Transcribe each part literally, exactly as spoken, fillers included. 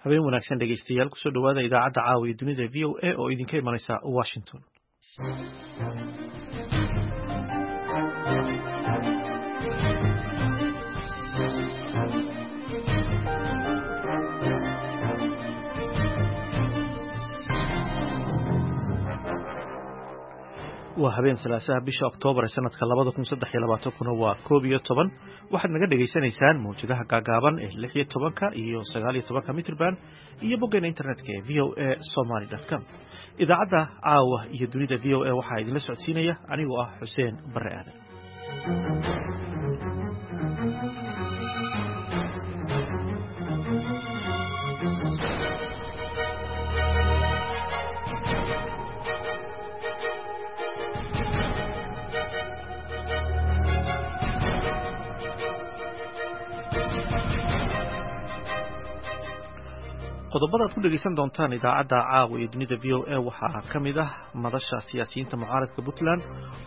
Habeen wanaagsan dhegeystayaal, kusoo dhawaada idaacadda caawa iyo dunida V O A oo idinka imanaysa Washington. Waa habeen salaasaha, bisha Oktoobar ee sanadka labada kun saddex iyo labaatankuna waa koob iyo toban. Waxaad naga dhegaysanaysaan mawjadaha gaagaaban ee lix iyo tobanka iyo sagaal iyo tobanka mitrban iyo boggeena internetka ee V O A Somaly com. Idaacadda caawa iyo dunida V O A waxaa idinla socodsiinaya anigoo ah Xuseen Barre Aadan. Qodobada aad ku dhegeysan doontaan idaacadda caawa iyo dunida V O A waxaa ka mid ah madasha siyaasiyiinta mucaaradka Puntland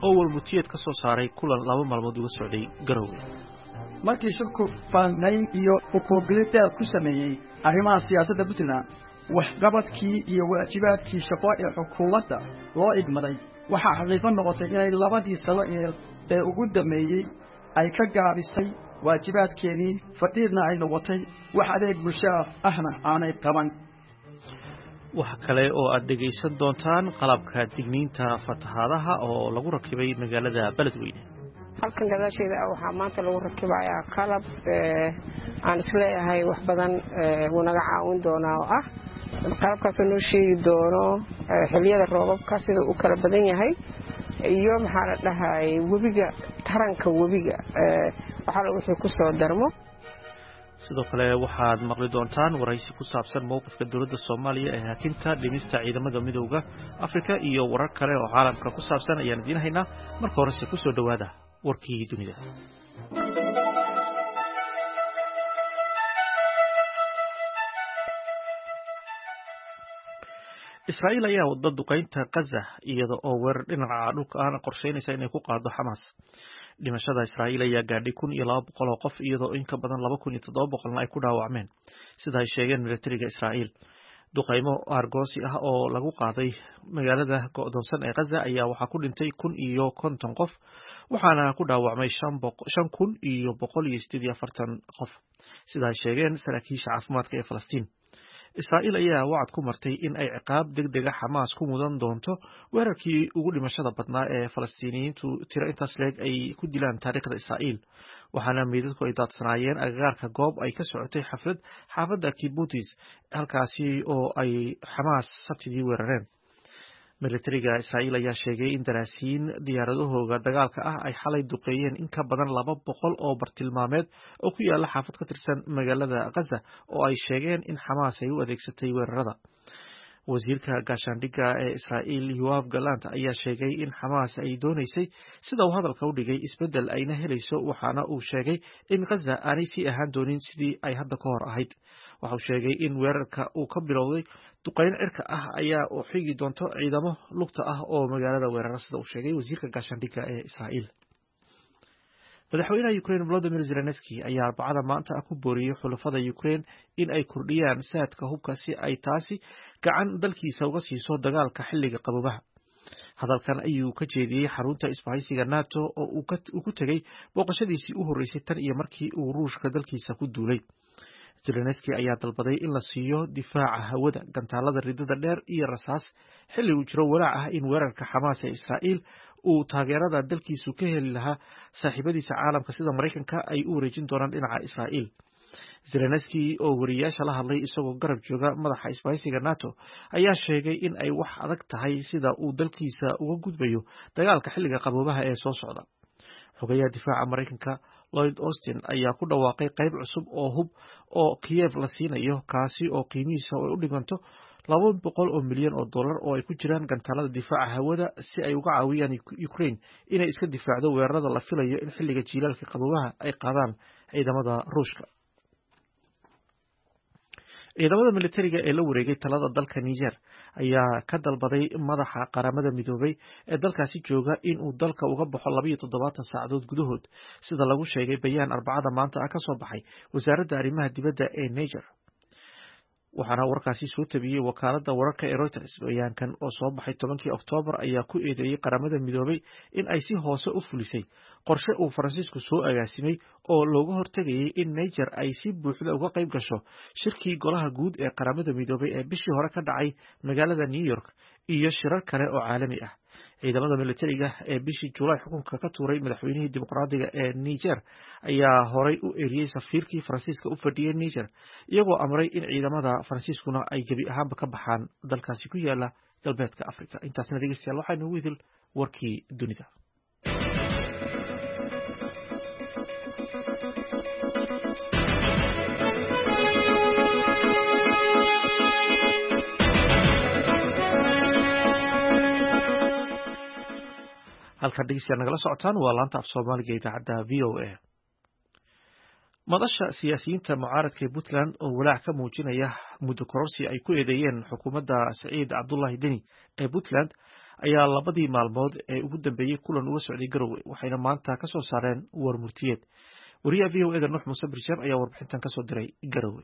oo warmutiyeed ka soo saaray kulan laba maalmood uga socday Garowe. Markii shirku faannayn iyo ukuubilid dheer ku sameeyey arrimaha siyaasadda Puntland, waxqabadkii iyo waajibaadkii shaqo ee xukuumadda loo igmaday, waxaa xaqiiqo noqotay inay labadii sano ee ugu dambeeyey ay ka gaabisay waajibaadkeedii, fadhiidna ay noqotay, wax adeeg bulshaa ahna aanay qaban. Waxa kale oo aad dhegaysan doontaan qalabka digniinta fatahaadaha oo lagu rakibay magaalada Beledweyne. Halkan gadaasheeda ah waxaa maanta lagu rakibayaa qalab aan isleeyahay wax badan wuu naga caawin doonaa, oo ah qalabkaasoo noo sheegi doono xiliyada roobabka sida uu kala badan yahay iyo, maxaa la dhahay, webiga, taranka webiga, waxaala wixii ku soo darmo. Sidoo kale waxaad maqli doontaan waraysi ku saabsan mowqifka dowladda Soomaaliya ee hakinta dhimista ciidamada Midowda Afrika iyo warar kale oo caalamka ku saabsan ayaan idiin haynaa. Marka horese kusoo dhowaada warkii dunida. Israa'iil ayaa wada duqeynta Gaza iyada oo weerar dhinaca dhulka ahna qorsheynaysa inay ku qaado Xamaas. Dhimashada Israa'iil ayaa gaadhay kun iyo laba boqol oo qof, iyadoo in ka badan laba kun iyo toddoba boqolna ay ku dhaawacmeen, sida ay sheegeen militariga Israa'iil. Duqeymo aargoosi ah oo lagu qaaday magaalada go'doonsan ee Gaza ayaa waxaa ku dhintay kun iyo konton qof, waxaana ku dhaawacmay shan kun iyo boqol iyo sideed iyo afartan qof, sida ay sheegeen saraakiisha caafimaadka ee Falastiin. Israa'iil ayaa wacad ku martay in ay ciqaab deg dega Xamaas ku mudan doonto weerarkii ugu dhimashada badnaa ee Falastiiniyiintu tiro intaas leeg ay ku dilaan taariikhda Israa'iil, waxaana meydadku ay daadsanaayeen agagaarka goob ay ka socotay xaflad xaafadda Kibbutz, halkaasi oo ay Xamaas Sabtidii weerareen. Militariga Israa'iil ayaa sheegay in daraasiyiin diyaaradahooga dagaalka ah ay xalay duqeeyeen in ka badan laba boqol oo bartilmaameed oo ku yaala xaafad ka tirsan magaalada Gaza, oo ay sheegeen in Xamaas ay u adeegsatay weerarada. Wasiirka gaashaandhigga ee Israa'iil Yoav Gallant ayaa sheegay in Xamaas ay doonaysay, sida uu hadalka u dhigay, isbeddel ayna helayso, waxaana uu sheegay in Gaza aanay sii ahaan doonin sidii ay hadda ka hor ahayd. Waxa uu sheegay in weerarka uu ka bilowday duqeyn cirka ah ayaa u xigi doonto ciidamo lugta ah oo magaalada weerara, sida uu sheegay wasiirka gaashaandhigga ee Israa'iil. Madaxweynaha Ukraine Volodymyr Zelenski ayaa Arbacada maanta ah ku booriyey xulafada Ukraine in ay kordhiyaan saadka hubka si ay taasi gacan dalkiisa uga siiso dagaalka xilliga qaboobaha. Hadalkan ayuu ka jeediyey xarunta isbahaysiga NATO oo uu ku tegey booqashadiisii u horreysay tan iyo markii uu Ruushka dalkiisa ku duulay. Zelenski ayaa dalbaday in la siiyo difaaca hawada, gantaalada ridada dheer iyo rasaas, xilli uu jiro walaac ah in weerarka Xamaas ee Israa'iil uu taageerada dalkiisu ka heli lahaa saaxiibadiisa caalamka sida Maraykanka ay u wareejin doonaan dhinaca Israa'iil. Zelenski oo wariyaasha la hadlay isagoo garab jooga madaxa isbahaysiga NATO ayaa sheegay in ay wax adag tahay sida uu dalkiisa uga gudbayo dagaalka xilliga qaboobaha ee soo socda. Xogayaha difaaca Maraykanka Lloyd Austin ayaa ku dhawaaqay qayb cusub oo hub oo Kiev la siinayo, kaasi oo qiimihiisa ay u dhiganto laba boqol oo milyan oo dollar, oo ay ku jiraan gantaalada difaaca hawada, si ay uga caawiyaan Ukraine inay iska difaacdo weerarada la filayo in xilliga jiilaalka qaboobaha ay qaadaan ciidamada Ruushka. Ciidamada militariga ee la wareegay talada dalka Niger ayaa ka dalbaday madaxa Qaramada Midoobay ee dalkaasi jooga in uu dalka uga baxo labayo toddobaatan saacadood gudahood, sida lagu sheegay bayaan Arbacada maanta ah ka soo baxay wasaaradda arrimaha dibadda ee Niger. Waxaana warkaasi soo tabiyey wakaaladda wararka ee Reuters. Bayaankan oo soo baxay tobankii Oktoobar ayaa ku eedeeyey Qaramada Midoobay in ay si hoose u fulisay qorshe uu Faransiisku soo agaasimay oo looga hortegayay in Niger ay si buuxda uga qayb gasho shirkii Golaha Guud ee Qaramada Midoobay ee bishii hore ka dhacay magaalada New York iyo shirar kale oo caalami ah. Ciidamada militariga ee bishii Julaay xukunka ka tuuray madaxweynihii dimuqraadiga ee Niger ayaa horay u eriyey safiirkii Faransiiska u fadhiyey Niger, iyagoo amray in ciidamada Faransiiskuna ay gebi ahaanba ka baxaan dalkaasi ku yaala galbeedka Afrika. Intaasna dhegeystayaal waxaa inoogu idil warkii dunida. Halkaad dhegeystayaal nagala socotaan waa laanta af Soomaaliga idaacadda V O A. Madasha siyaasiyiinta mucaaradka ee Puntland oo walaac ka muujinaya muddo kororsi ay ku eedeeyeen xukuumadda Saciid Cabdullaahi Deni ee Puntland ayaa labadii maalmood ee ugu dambeeyey kulan uga socday Garowe, waxayna maanta ka soo saareen war murtiyeed. Wariyaha V O E da Nuux Muuse Birjeeb ayaa warbixintan kasoo diray Garowe.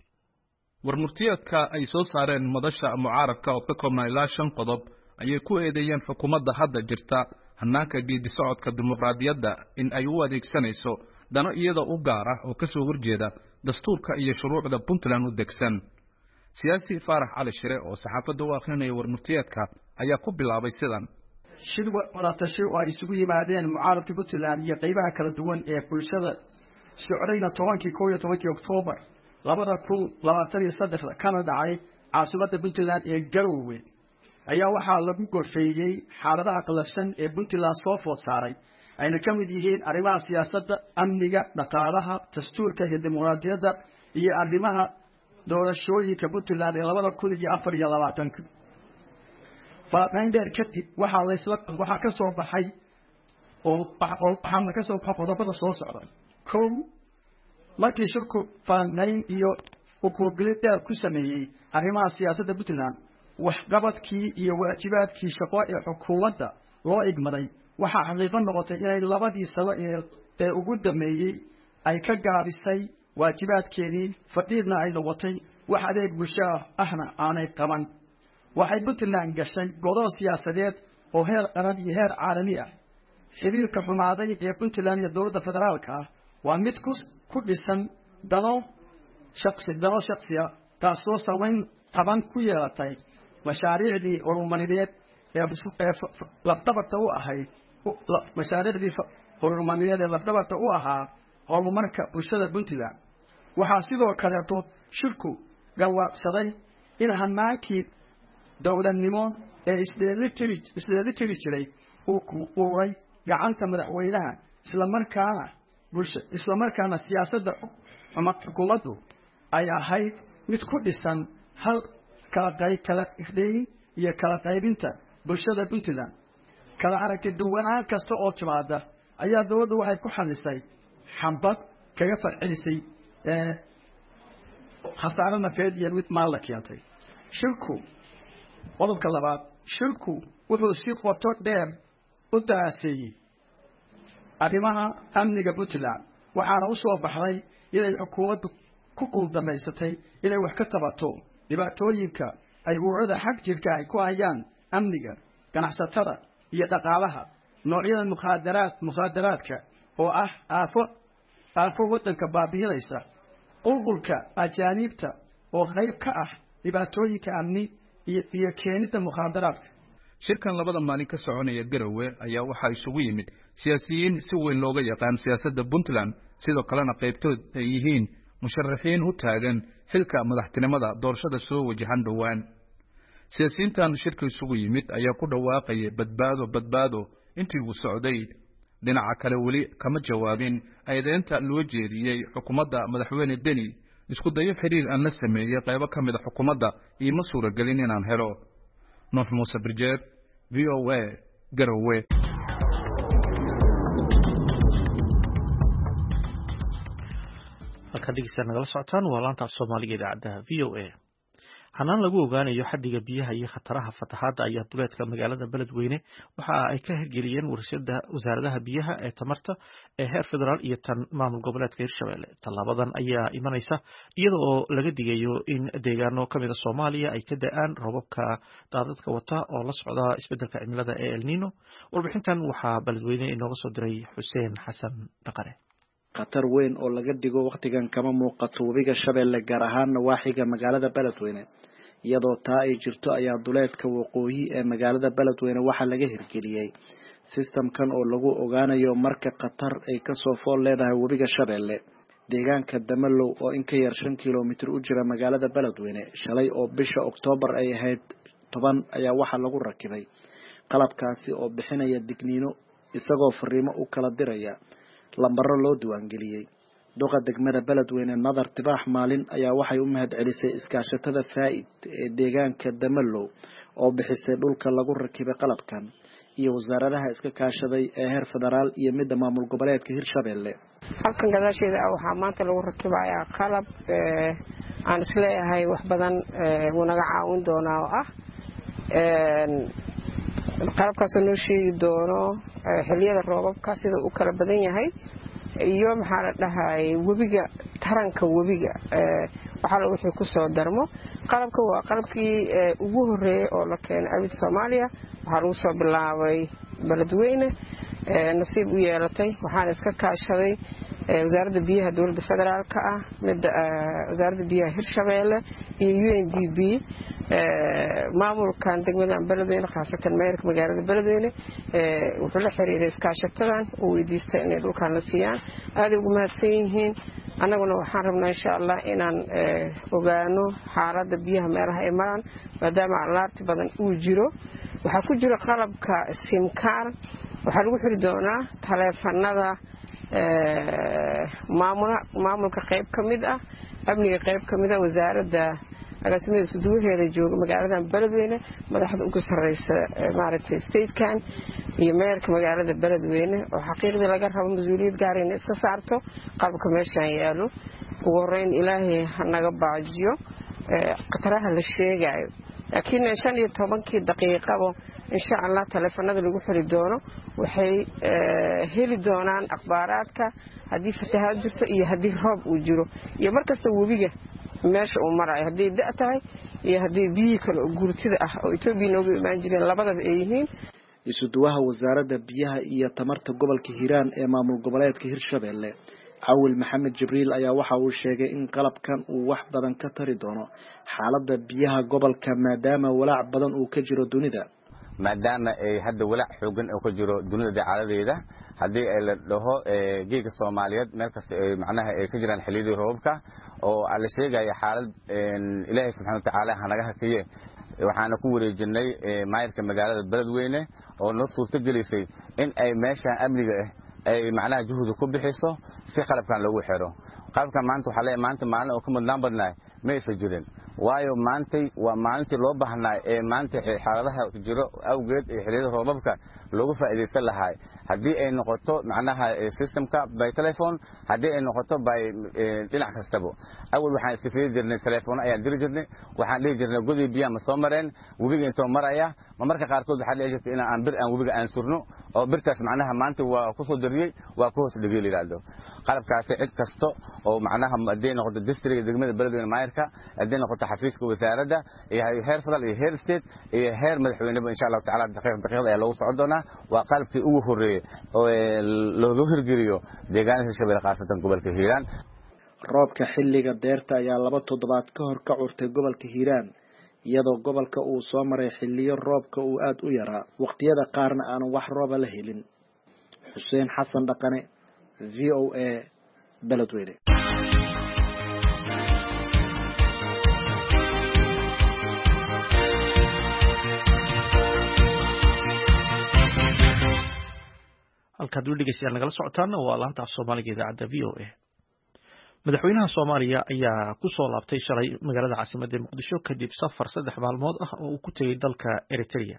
War murtiyeedka ay soo saareen madasha mucaaradka oo ka koobnaa ilaa shan qodob ayay ku eedeeyeen xukuumadda hadda jirta hannaanka geedi socodka dimuqraadiyadda in ay u adeegsanayso dano iyada u gaar ah oo ka soo horjeeda dastuurka iyo shuruucda Puntland u degsan. Siyaasi Faarax Cali Shire oo saxaafadda u akhrinaya warmurtiyeedka ayaa ku bilaabay sidan: Shir wadatashi oo ay isugu yimaadeen mucaaradka Puntland iyo qaybaha kala duwan ee bulshada socdayna tobankii kow iyo tobankii Oktoobar labada kun labaatan iyo saddexda kana dhacay caasimadda Puntland ee Garowe ayaa waxaa lagu gorfeeyey xaaladaha qallafsan ee Puntland soo food saaray, ayna ka mid yihiin arrimaha siyaasadda, amniga, dhaqaalaha, dastuurka iyo dimuqraadiyadda iyo arrimaha doorashooyinka Puntland ee labada kun iyo afar iyo labaatanka. Faahfaahin dheer kadib waxaa laysla waxaa ka soo baxay oo waxaana ka soo baxay qodobada soo socda. Kow, markii shirku faahfaahin iyo ukuurgelid dheer ku sameeyey arrimaha siyaasadda Puntland, waxqabadkii iyo waajibaadkii shaqo ee xukuumadda loo igmaday, waxaa xaqiiqo noqotay inay labadii sano ee ugu dambeeyey ay ka gaabisay waajibaadkeedii, fadhiidna ay noqotay, wax adeeg bulsho ahna aanay qaban. Waxay Puntland gashay godoon siyaasadeed oo heer qaran iyo heer caalami ah. Xiriirka xumaaday ee Puntland iyo dowladda federaalka ah waa mid ku ku dhisan dano shaqsi dano shaqsi ah, taasoo samayn taban ku yeelatay mashaariicdii horumarineed ee lafdhabarta u ahayd mashaariicdii horumarineed ee lafdhabarta u ahaa horumarka bulshada Puntland. Waxaa sidoo kaleeto shirku gawaaqsaday in hanaankii dowladnimo ee isdheelitiri isdheelitiri jiray uu uray gacanta madaxweynaha, islamarkaana bulsha islamarkaana siyaasadda xukuumaddu ay ahayd mid ku dhisan hal kala qayb kala irdheyn iyo kala qaybinta bulshada Puntland. Kala aragti duwanaan kasta oo timaada ayaa dowladdu waxay ku xalisay xambad kaga farcelisay khasaaro nafeed iyo mid maal la keentay. Shirku qodobka labaad, shirku wuxuu si qoto dheer u daraaseeyey arrimaha amniga Puntland, waxaana u soo baxday inay xukuumaddu ku guuldaraysatay inay wax ka qabato dhibaatooyinka ay ururada xag jirka ay ku hayaan amniga, ganacsatada iyo dhaqaalaha, noocyada mukhaadaraad mukhaadaraadka oo ah aafo aafo waddanka baabi'inaysa, qulqulka ajaaniibta oo qayb ka ah dhibaatooyinka amni iyo iyo keenidda mukhaadaraadka. Shirkan labada maalin ka soconaya Garowe ayaa waxaa isugu yimid siyaasiyiin si weyn looga yaqaan siyaasadda Puntland, sidoo kalena qaybtood ay yihiin musharaxiin u taagan xilka madaxtinimada doorashada soo wajahan dhowaan. Siyaasiyiintan shirka isugu yimid ayaa ku dhawaaqaya badbaado badbaado intii uu socday. Dhinaca kale weli kama jawaabin eedeynta loo jeediyey xukuumadda madaxweyne Deni. Isku dayo xiriir aan la sameeyey qaybo ka mid a xukuumadda iima suuragelin inaan helo. Nuux Muuse Birjeeb, V O A, Garowe. Halkaad dhegeystayaal nagala socotaan waa laanta af Soomaaliga idaacadda V O A. Hanaan lagu ogaanayo xaddiga biyaha iyo khataraha fatahaadda ayaa duleedka magaalada Beledweyne waxa ay ka hirgeliyeen warshada wasaaradaha biyaha ee tamarta ee heer federaal iyo tan maamul goboleedka Hirshabelle. Tallaabadan ayaa imanaysa iyada oo laga digayo in deegaano ka mid a Soomaaliya ay ka da'aan roobabka daadadka wata oo la socda isbeddelka cimilada ee El Nino. Warbixintan waxaa Beledweyne inooga soo diray Xuseen Xasan Dhaqane. Khatar weyn oo laga digo wakhtigan kama muuqato webiga Shabeelle, gaar ahaan nawaaxiga magaalada Beledweyne. Iyadoo taa ay jirto ayaa duleedka waqooyi ee magaalada Beledweyne waxaa laga hirgeliyey sistamkan oo lagu ogaanayo marka khatar ay kasoo fool leedahay webiga Shabeelle. Deegaanka Damalow oo in ka yar shan kilomitir u jira magaalada Beledweyne, shalay oo bisha Oktoobar ay ahayd toban ayaa waxaa lagu rakibay qalabkaasi oo bixinaya digniino, isagoo fariimo u kala diraya lambaro loo diiwaangeliyey. Duqa degmada Beledweyne Nadar Tibaax Maalin ayaa waxay u mahad celisay iskaashatada Faaid ee deegaanka Damalow oo bixisay dhulka lagu rakibay qalabkan iyo wasaaradaha iska kaashaday ee heer federaal iyo midda maamul goboleedka Hirshabelle. Halkan gadaasheeda waxaa maanta lagu rakibayaa qalab aan isleeyahay wax badan wuu naga caawin doonaa oo ah qalabkaasoo noo sheegi doono xilliyada roobabka sida uu kala badan yahay iyo maxaa la dhahay webiga, taranka webiga waxaa wixii ku soo darmo. Qalabka waa qalabkii ugu horeeyey oo la keenay abid Soomaaliya. Waxaa lagu soo bilaabay Beledweyne, nasiib u yeelatay. Waxaana iska kaashaday wasaaradda biyaha dowladda federaalka ah, midda wasaaradda biyaha Hirshabeelle iyo U N D B, maamulkan degmadan Beledweyne, khaasatan mayorka magaalada Beledweyne wuxuu la xiriiray iskaashatadan uu weydiistay inay dhulkan la siiyaan. Aaday ugu mahadsan yihiin. Annaguna waxaan rabnaa insha allah inaan ogaano xaaladda biyaha meelaha ay maraan, maadaama alaarti badan uu jiro. Waxaa ku jira qalabka simkaar, waxaa lagu xiri doonaa taleefanada maamulka qayb ka mid ah, amniga qayb ka mid ah, wasaaradda agaasimada iskuduwaheeda jooga magaaladan Beledweyne, madaxda ugu sarreysa maaragtay statekan iyo meerka magaalada Beledweyne oo xaqiiqdii laga rabo mas-uuliyad gaar inay iska saarto qalabka meeshaan yaalo. Ugu horeyn ilaahay ha naga baajiyo khataraha la sheegayo, laakiin shan iyo tobankii daqiiqaba insha allah taleefanada lagu xiri doono waxay heli doonaan akhbaaraadka haddii fatahaad jirto iyo haddii roob uu jiro iyo markasta webiga meesha uu marayo, hadday da' tahay iyo haddii biyihii kale oo guurtida ah oo Itoobiya nooga imaan jireen labadaba ay yihiin. Isuduwaha wasaaradda biyaha iyo tamarta gobolka Hiiraan ee maamul goboleedka Hirshabelle, Cawil Maxamed Jibriil, ayaa waxa uu sheegay in qalabkan uu wax badan ka tari doono xaaladda biyaha gobolka, maadaama walaac badan uu ka jiro dunida. Maadaama ay hadda walaac xoogan oo ka jiro dunida dacaaladeeda, haddii ay la dhaho geega Soomaaliyeed meel kasta ay macnaha ay ka jiraan xilliyadii roobabka oo la sheegaya xaalad Ilaahay subxaana watacaala hanaga hakiye, waxaana ku wareejinay maayarka magaalada Beledweyne oo noo suurto gelisay in ay meeshan amniga ah ay macnaha juhdi ku bixiso si qalabkan loogu xiro. Qalabkan maanta waxaa leeyahay maanta maalin oo ka mudnaan badnaay ma aysan jirin, waayo maantay waa maalintii loo baahnaa ee maanta xaaladaha jiro awgeed ee xilliyada roobabka loogu faa'iidaysan lahaa, haddii ay noqoto macnaha systemka by telephone, haddii ay noqoto by dhinac kastaba. Awal waxaan iska fiiri jirnay telefoon ayaan diri jirnay, waxaan dhihi jirnay godii biyaha ma soo mareen, webiga intoo maraya ma marka qaarkood waxaa dhici jirtay in aan bir aan webiga aan surno oo birtaas macnaha maanta waa ku soo dariyey waa ku hoos dhigay la yidhaahdo. Qalabkaasi cid kasto oo macnaha hadday noqoto district degmada Beledweyne maayarka, hadday noqoto xafiiska wasaaradda iyo heer federal iyo heer state iyo heer madaxweyneba, insha allahu tacaala daqiiq daqiiqda ayaa loogu socon doonaa. Waa qalabkii ugu horreeyey oo loogu hirgeliyo deegaanada Hirshabelle, khaasatan gobolka Hiiraan. Roobka xilliga deerta ayaa laba toddobaad ka hor ka curtay gobolka Hiiraan, iyadoo gobolka uu soo maray xilliyo roobka uu aada u yaraa, waqtiyada qaarna aanan wax rooba la helin. Xuseen Xasan Dhaqane, V O A, Beledweyne. Halkaad weli dhegeystayaal nagala socotaana waa laanta af Soomaaliga idaacadda V O A. Madaxweynaha Soomaaliya ayaa ku soo laabtay shalay magaalada caasimadda Muqdisho kadib safar saddex maalmood ah oo uu ku tegey dalka Eritrea.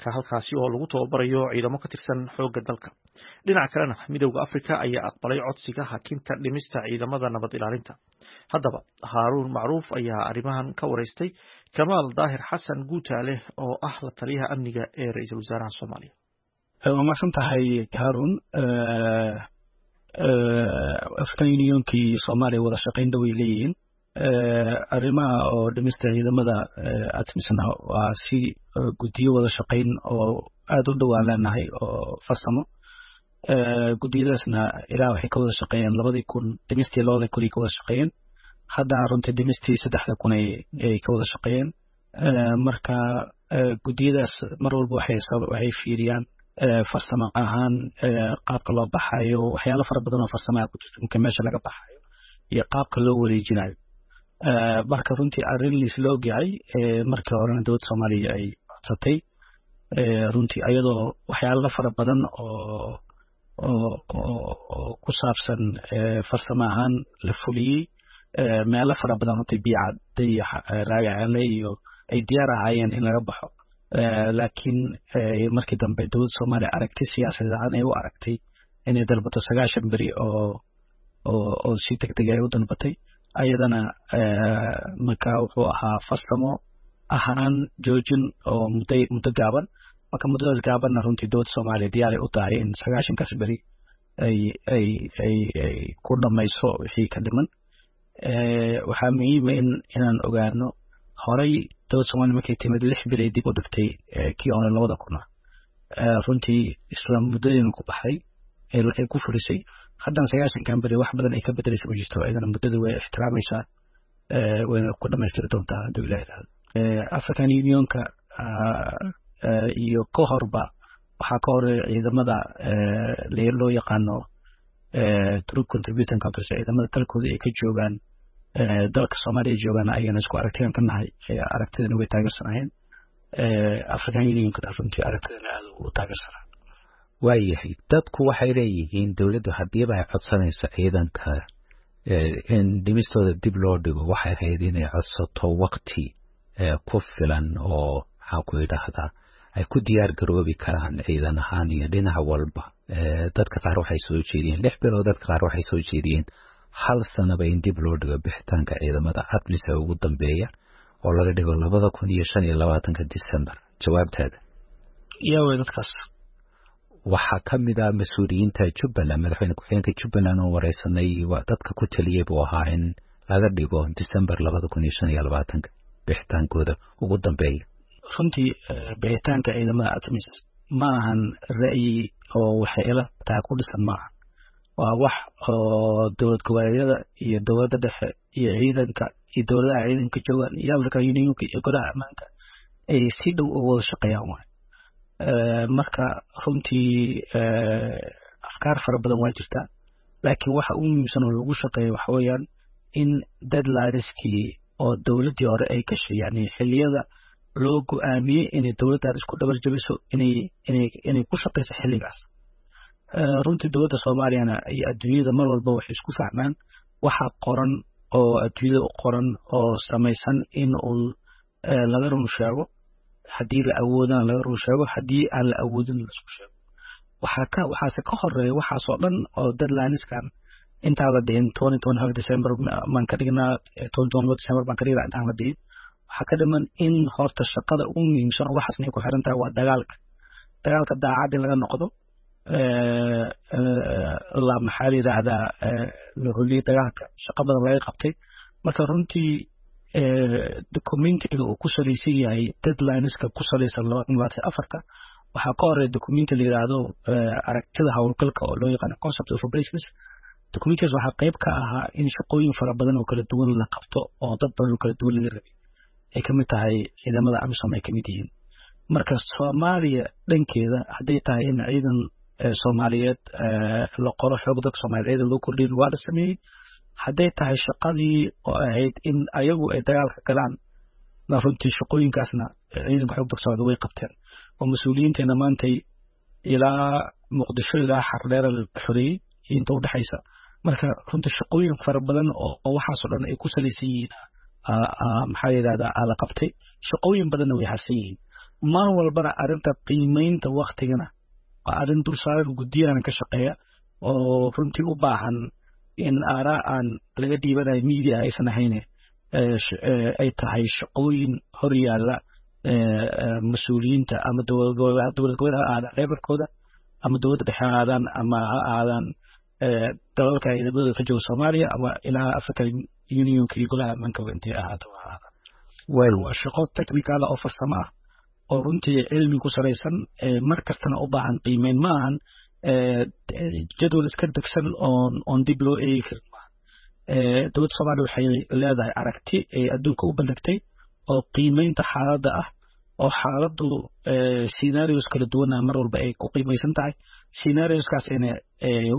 Halkaasi oo lagu tababarayo ciidamo ka tirsan xoogga dalka. Dhinaca kalena, Midowda Afrika ayaa aqbalay codsiga hakinta dhimista ciidamada nabad ilaalinta. Haddaba, Haaruun Macruuf ayaa arrimahan ka wareystay Kamaal Daahir Xasan Guutaale, oo ah la taliyaha amniga ee ra-iisul wasaaraha Soomaaliya. Waa mahadsan tahay, Haarun. African Unionkii Soomaaliya wada shaqayn dhow ay leeyihiin. Arrimaha oo dhimista ciidamada ATMISna waa si guddiyo wada shaqayn oo aada u dhowaan leenahay oo farsamo. Guddiyadaasna ilaa waxay ka wada shaqeeyeen labadii kun, dhimistii labada kun ay ka wada shaqeeyeen. Haddana runtii dhimistii saddexda kun ay ka wada shaqeeyeen. Marka guddiyadaas mar walba waxay waxay fiiriyaan farsamo ahaan qaabka loo baxayo, waxyaalo fara badan oo farsamaha ku jirta marka meesha laga baxayo iyo qaabka loo wareejinayo. Marka runtii arrin laisla ogyahay, markii horena dowladda Soomaaliya ay codsatay runtii, ayadoo waxyaalo fara badan oo oo oo ku saabsan farsamo ahaan la fuliyey, meelo fara badan runtii Biyocadde iyo Raagacele iyo ay diyaar ahaayeen in laga baxo, laakiin markii dambe dowladda Soomaaliya aragti siyaasadeed ahaan ay u aragtay inay dalbato sagaashan beri oo oo oo si degdeg ay u dalbatay ayadana. Marka wuxuu ahaa farsamo ahaan joojin oo muddo muddo gaaban. Marka muddadaas gaabanna runtii dowladda Soomaaliya diyaaray u tahay in sagaashankaas beri ay ay ay ay ku dhamayso wixii ka dhiman. Waxaa muhiima in inaan ogaano horay dowladda Soomaaliya markay timid lix bil ay dib u dhigtay kii hore labada kuna, runtii isla muddadiina ku baxday ay ku fulisay. Haddana sagaashankan beri wax badan ay ka bedelaysa ma jirto, iyadana muddada way ixtiraamaysaa, wayna ku dhamaystiri doontaa hadduu Ilaah yidhaahdo. African Unionka iyo ka horba waxaa ka horeeya ciidamada loo yaqaano troop contributing countries, ciidamada dalkooda ay ka joogaan dalka Soomaaliya ay joogaan, ayagana isku aragtiyan ka nahay, aragtidana way taageersanayeen. African Unionka runtii aragtidana aada u taageersanaa. Waayahay, dadku waxay leeyihiin dowladdu haddiiba ay codsanayso ciidanka in dhimistooda dib loo dhigo, waxay ahayd inay codsato wakti ku filan oo, maxaa ku idhaahdaa, ay ku diyaar garoobi karaan ciidan ahaan iyo dhinac walba. Dadka qaar waxay soo jeediyeen lix bilood, dadka qaar waxay soo jeediyeen hal sanaba in dib loo dhigo bixitaanka ciidamada ATMIS ee ugu dambeeya oo laga dhigo labada kun iyo shan iyo labaatanka December. Jawaabtaada? Yaa wey dadkaas? Waxaa ka mid ah mas-uuliyiinta Jubbaland, madaxweyne ku-xigeenka Jubbaland oo wareysanay dadka ku taliyey buu ahaa in laga dhigo December labada kun iyo shan iyo labaatanka bixitaankooda ugu dambeeya. Runtii bixitaanka ciidamada ATMIS ma ahan ra'yi oo waxay ila tahay ku dhisan maaha. Waa wax oo dowlad goboleedyada iyo dowladda dhexe iyo ciidanka iyo dowladaha ciidanka joogaan iyo African Unionka iyo golaha ammaanka ay si dhow uga wada shaqeeyaan waay. Marka runtii afkaar fara badan waa jirtaa, laakiin waxa ugu muhiimsan oo lagu shaqeeyo waxa weeyaan in deadlineskii oo dowladdii hore ay gashay, yani xilliyada loo go-aamiyey inay dowladdan isku dhabar jabiso, inay inay inay ku shaqeyso xilligaas. Runtii dowladda Soomaaliyana iyo adduunyada mar walba waxay isku fahmaan waxa qoran oo adduunyada u qoran oo samaysan in uu laga run sheego, haddii la awoodana laga run sheego, haddii aan la awoodin la isku sheego. Waxaa ka waxaase ka horeeya waxaasoo dhan oo deadlineskan intaan la dhihin twenty twenty five December baan ka dhignaa, twenty twenty December baan ka dhignaa intaan la dhihin, waxaa ka dhiman in horta shaqada ugu muhiimsan oo waxaasna ay ku xiran tahay waa dagaalka dagaalka daacad in laga noqdo la, maxaa la yidhaahdaa, la holiyey dagaalka, shaqo badan laga qabtay. Marka runtii documentiga uu ku salaysan yahay deadlineska ku salaysan laba kun labaatan afarta, waxaa ka horeeya documenti la yidhaahdo aragtida howlgalka oo loo yaqaano concept of operations. Documentigaas waxaa qayb ka ahaa in shaqooyin fara badan oo kala duwan la qabto oo dad badan oo kala duwan laga rabay, ay kamid tahay ciidamada AMISOM ay kamid yihiin. Marka Soomaaliya dhankeeda hadday tahay in ciidan Soomaaliyeed la qoro, xoog dadka Soomaaliyeed ciidan loo kordhiyin, waa la sameeyey. Hadday tahay shaqadii oo ahayd in ayagu ay dagaalka galaan, runtii shaqooyinkaasna ciidanka xoog dadka Soomaaliyeed way qabteen oo mas-uuliyiinteena maantay ilaa Muqdisho ilaa Xardheera la xoreeyey inta udhexaysa. Marka runtii shaqooyin fara badan oo waxaasoo dhan ay ku salaysan yihiin, maxaa yidhahdaa, la qabtay, shaqooyin badanna way harsan yihiin. Mar walbana arrinta qiimeynta waktigana waa arrin dul saaran guddiyana ka shaqeeya oo runtii u baahan in aaraa aan laga dhiibanayo media aysan ahayn, ay tahay shaqooyin hor yaalla mas-uuliyiinta ama dowlad goboleed ha ahaadaan reebarkooda ama dowladda dhexe ha ahaadaan ama ha ahaadaan dalalka ciidamadooda ka jooga Soomaaliya ama ilaa African Unionka iyo golaha ammaanka intay ahaato ha ahaadaan. Waa shaqo technical oo farsamo ah oo runtii cilmi ku salaysan, mar kastana u baahan qiimeyn. Ma ahan jadwal iska degsan oon oon dib loo eegi karin maaha. Dowladda Soomaaliya waxay leedahay aragti ay adduunka u bandhigtay oo qiimeynta xaaladda ah, oo xaaladdu scenarios kala duwana mar walba ay ku qiimaysan tahay, scenarioskaasina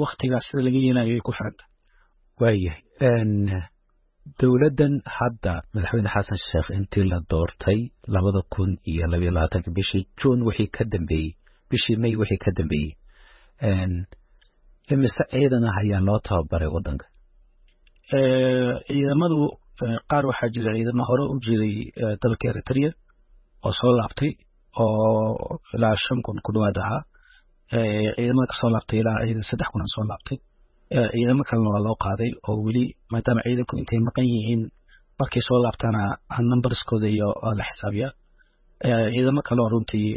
waktigaas sida laga yeelayo ay ku xiran tahay. Waayahay, dowladdan hadda madaxweyne Xasan Sheekh intii la doortay labada kun iyo labayo labaatanka bishii Juun wixii ka dambeeyey, bishii May wixii ka dambeeyey, imise ciidan ah ayaa loo tababaray waddanka? Ciidamadu qaar waxaa jira ciidamo hore u jiray dalka Eritrea oo soo laabtay oo ilaa shan kun ku dhawaad ahaa. Ciidamada kasoo laabtay ilaa ciidan saddex kun soo laabtay. Ciidamo kalena waa loo qaaday oo weli, maadaama ciidanku intay maqan yihiin markay soo laabtaana numberskooda iyo la xisaabiyaa. Ciidamo kale oo runtii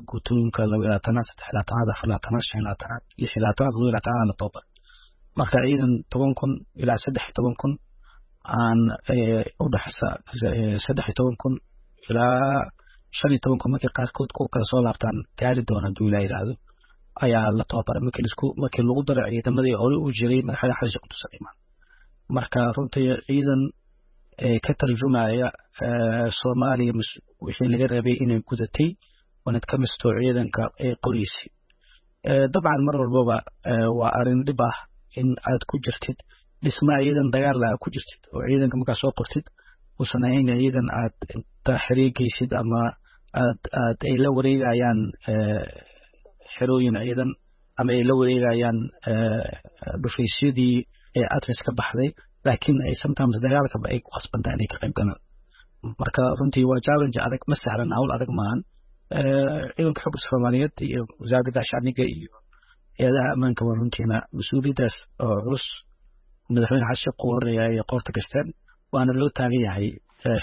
guutooyinka laba labaatanaad, saddex labaatanaad, afar labaatanaad, shan labaatanaad, lix labaatanaad, todoba labaatanaad la tababar. Marka ciidan toban kun ilaa saddex iyo toban kun aan u dhexsa, saddex iyo toban kun ilaa shan iyo toban kun markay qaarkood ku kala soo laabtaan gaari doona hadduu Ilaa yidhaahdo ayaa la tababaray, markii lisku markii lagu daro ciidamadii hore u jiray madaxweyne Xasan Sheekh Muuse Imaan. Marka runtii ciidan ka tarjumaya Soomaaliya wixii laga rabay inay gudatay wanad ka misto ciidanka ee qoriisi. Dabcan mar walbaba waa arrin dhib ah in aad ku jirtid dhisma ciidan dagaal ah ku jirtid oo ciidanka markaa soo qortid uusan ahayn ciidan aad inta xiriirgeysid ama aad aad ay la wareegayaan xerooyin ciidan ama ay la wareegayaan dhufaysyadii ee ATMIS ka baxday, laakiin ay sometimes dagaalkaba ay ku khasbantahay inay ka qayb galaan. Marka runtii waa challenge adag, ma sahlan, hawl adag maahan. Ciidanka xogga Soomaaliyeed iyo wasaaradda gaashaandhigga iyo hay-adaha ammaanka waa runtiina mas-uuliyaddaas oo culus madaxweyne Xasan Sheekh uu horeeya ay qoorta gashteen, waana loo taagan yahay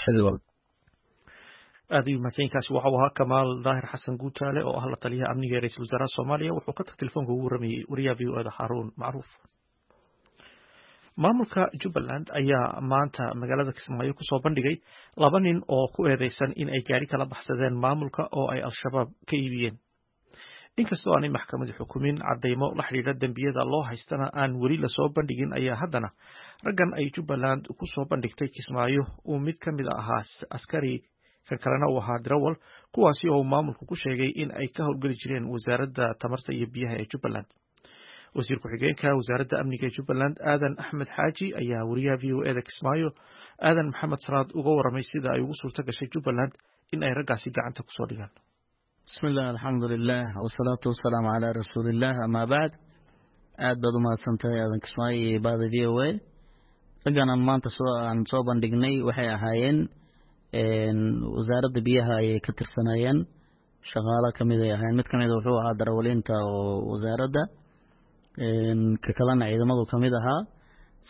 xilli walba. Aad ayuu mahadsankaasi. Waxau ahaa Kamaal Daahir Xasan Guutaale oo ah la taliyaha amniga ee ra-iisul wasaaraha Soomaaliya. Wuxuu khadka telefoonka ugu waramayey wariyaha V O E da Xaaruun Macruuf. Maamulka Jubbaland ayaa maanta magaalada Kismaayo kusoo bandhigay laba nin oo ku eedeysan in ay gaari kala baxsadeen maamulka oo ay Al-Shabaab ka iibiyeen. Inkastoo aanay maxkamadi xukumin, cadeymo la xidhiidha dembiyada loo haystana aan weli lasoo bandhigin, ayaa haddana raggan ay Jubbaland kusoo bandhigtay Kismaayo uu mid ka mid ahaa askari, kan kalena uu ahaa dirawal, kuwaasi oo maamulku ku sheegay in ay ka howlgeli jireen wasaaradda tamarta iyo biyaha ee Jubbaland. Wasiir ku-xigeenka wasaaradda amniga ee Jubbaland Aadan Axmed Xaaji ayaa wariyaha V O E da Kismaayo Aadan Maxamed Salaad uga waramay sida ay ugu suurto gashay Jubbaland in ay raggaasi gacanta kusoo dhigaan. Bismi illah, alxamdulilah, wasalaatu wasalaamu calaa rasuuliillah, amaa bacd. Aad baad umahadsantahay Aadan Kismaayo iyo bahda V O A. Raggan aan maanta soo aan soo bandhignay waxay ahaayeen wasaaradda biyaha ayay ka tirsanaayeen, shaqaalo kamid ay ahaayeen. Mid kamid wuxuu ahaa darawaliinta oo wasaaradda, ka kalena ciidamadu kamid ahaa.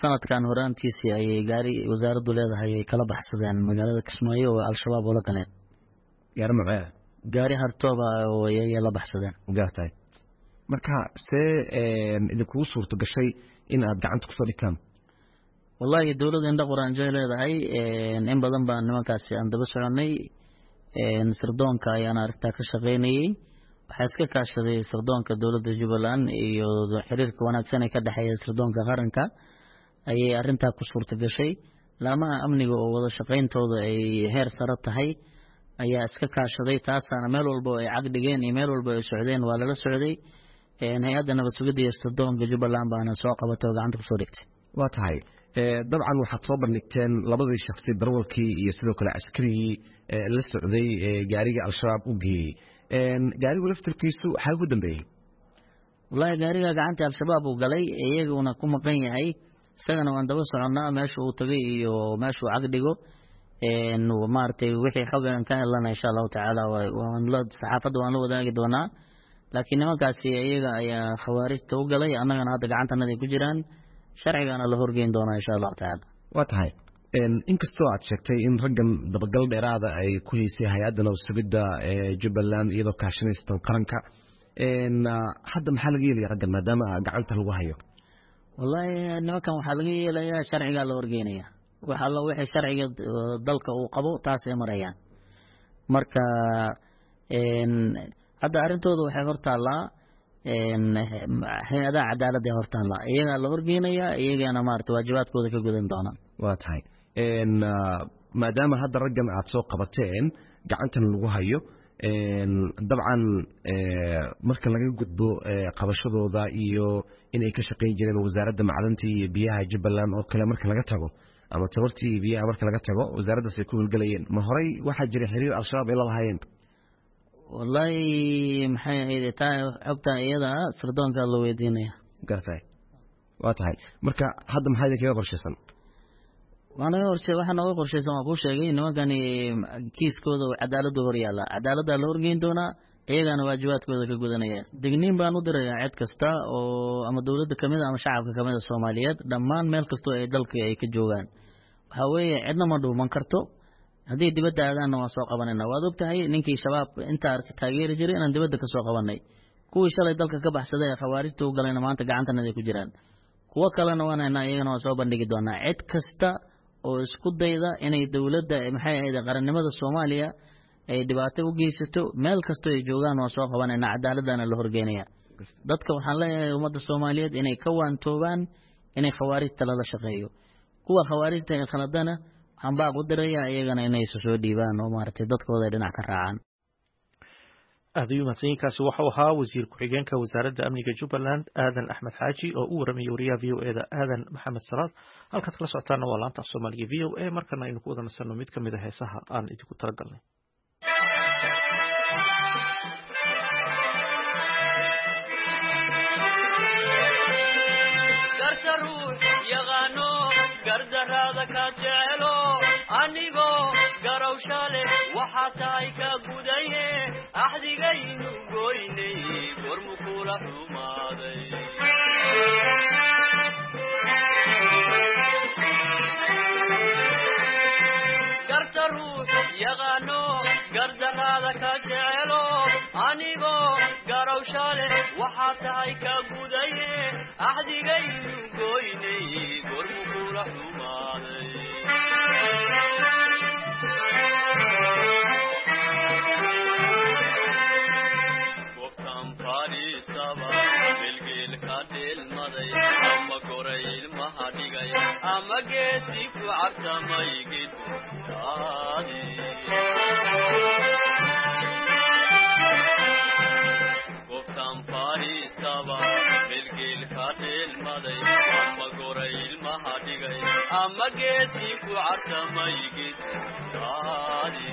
Sanadkan horaantiisii ayay gaari wasaaraddu leedahay ay kala baxsadeen magaalada Kismaayo oo Al-Shabaab oola galeen. Gaari macee? Gaari hartooba oo ayay la baxsadeen. Gaartahay. Marka see idinkugu suurto gashay in aad gacanta kusoo dhigtaan? Wallahi dowladda indha quraanjay leedahay. In badan baan nimankaasi aan daba soconay, sirdoonka ayaan arrintaa ka shaqaynayey. Waxaa iska kaashaday sirdoonka dowladda Jubbaland iyo xiriirka wanaagsan ee ka dhexeeya sirdoonka qaranka ayay arrintaa ku suurta gashay. Laamaha amniga oo wada shaqayntooda ay heer sare tahay ayaa iska kaashaday, taasaana meel walba oo ay cag dhigeen iyo meel walba ay socdeen waa lala socday. Hay-adda nabad sugidda iyo sirdoonka Jubbaland baana soo qabatay oo gacanta kusoo dhigtay. Waa tahay. Dabcan waxaad soo bandhigteen labadii shaksi, darawalkii iyo sidoo kale askarigii la socday gaariga Al-Shabaab u geeyey. Gaarigu laftarkiisu waxaa ugu dambeeyey? Wallahi gaariga gacanta Al-Shabaab uu galay, iyaguna ku maqan yahay, isagana waan daba soconnaa meesha uu tagay iyo meesha uu cag dhigo. Maaragtay, wixii xog aan ka helana, insha Allahu tacaala, waan la saxaafadda waan la wadaagi doonaa. Laakiin nimankaasi iyaga ayaa khawaarijta u galay, annagana hadda gacantanada ku jiraan, sharcigana la horgeyn doonaa, insha Allahu tacaala. Waa tahay. Inkastoo aad sheegtay in raggan dabagal dheeraada ay ku haysay hay-adda nabad sugidda ee Jubbaland iyadoo kaashanaysa qaranka, hadda maxaa laga yeelaya raggan maadaama gacanta lagu hayo? Wallahi, nimankan waxaa laga yeelayaa sharcigaa la horgeynaya. Wax alla wixii sharciga dalka uu qabo taasay marayaan. Marka hadda arrintooda waxay hortaallaa hay-adaha cadaaladda, hortaallaa, iyagaa la horgeynayaa, iyagana maarata waajibaadkooda ka gudan doonaan. Waa tahay. Maadaama hadda raggan aad soo qabateen gacantan lagu hayo, dabcan marka laga gudbo qabashadooda iyo inay ka shaqayn jireen wasaaradda macdanta iyo biyaha Jubbaland oo kale marka laga tago, ama tabartii iyo biyaha marka laga tago, wasaaraddaas ay ku howlgelayeen, ma horey waxaa jiray xiriir Al-Shabaab ay la lahaayeen? Wallahi, maxay ahayd, taa xogta iyada sirdoonkaa la weydiinaya. Gartay. Waa tahay. Marka hadda maxaa idinkaga qorshaysan? Waanaga horshe, waxaa nooga qorshaysan waan kuu sheegay. Nimankani kiiskooda cadaaladdu hor yaalla, cadaaladdaa la horgeyn doonaa, iyagana waajibaadkooda ka gudanaya. Digniin baan u dirayaa cid kasta oo ama dowladda kamid a ama shacabka kamid a Soomaaliyeed, dhammaan meel kastoo ay dalka ay ka joogaan. Waxaa weeye, cidna ma dhuuman karto. Haddii dibadda aadaanna waan soo qabanayna. Waad og tahay ninkii Shabaab inta arka taageeri jiray inaan dibadda ka soo qabanay. Kuwii shalay dalka ka baxsaday ee khawaarijta u galayna maanta gacantanada ku jiraan. Kuwo kalena waan haynaa, iyagana waan soo bandhigi doonaa. Cid kasta oo isku dayda inay dowladda, maxay ahayd, qarannimada Soomaaliya ay dhibaato u geysato, meel kastoo ay joogaan waan soo qabanaynaa, cadaaladana la horgeynaya. Dadka waxaan leeyahay, ummadda Soomaaliyeed inay ka waantoobaan inay khawaarijta lala shaqeeyo. Kuwa khawaarijta ee khaladana waxaan baaq u dirayaa iyagana inay isu soo dhiibaan oo maaragtay dadkooda ay dhinac ka raacaan. Aad ayuu mahadsanyiinkaasi. Waxau ahaa wasiir ku-xigeenka wasaaradda amniga Jubbaland, Aadan Axmed Xaaji, oo u waramayay wariyaha V O E da, Aadan Maxamed Salaad. Halkaad kala socotaana waa laanta af Soomaaliga V O A. Markana aynu ku wada nasanno mid ka mid a heesaha aan idinku talagalnay. Yaqaano gardaraada ka jecelo, anigoo garawsha leh waxaa tahay ka gudaye. Axdigaynu goynay gormu kula xumaaday? Garta ruux yaqaano gardaraada ka jecelo, anigoo garawsha leh waxaa tahay ka gudaye. Axdigaynu goynay gormu kula xumaaday? Gobtan fadhiisaba bilgeelka dheelmaday, ama goray ilmaha dhigay, ama geesi ku cabtamay gedyaadi. Gobtan fadhiisaba bilgeelka dheelmaday, ama goray ilmaha dhigay, ama geesi ku cabtamay gedyaadi.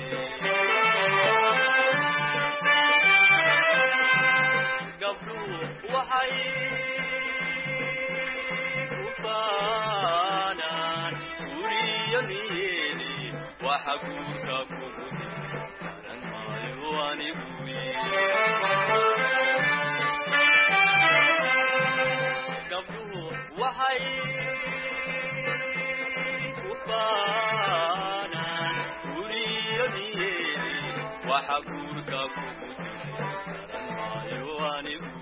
Gabdhuhu waxay ku faanaan guriyo niyeedi, waxa guurka kugu garan maayo anigu. Gabdhuhu waxay ku faanaan guriyo niyeedi, waxa guurka kugu garan maayo anigu.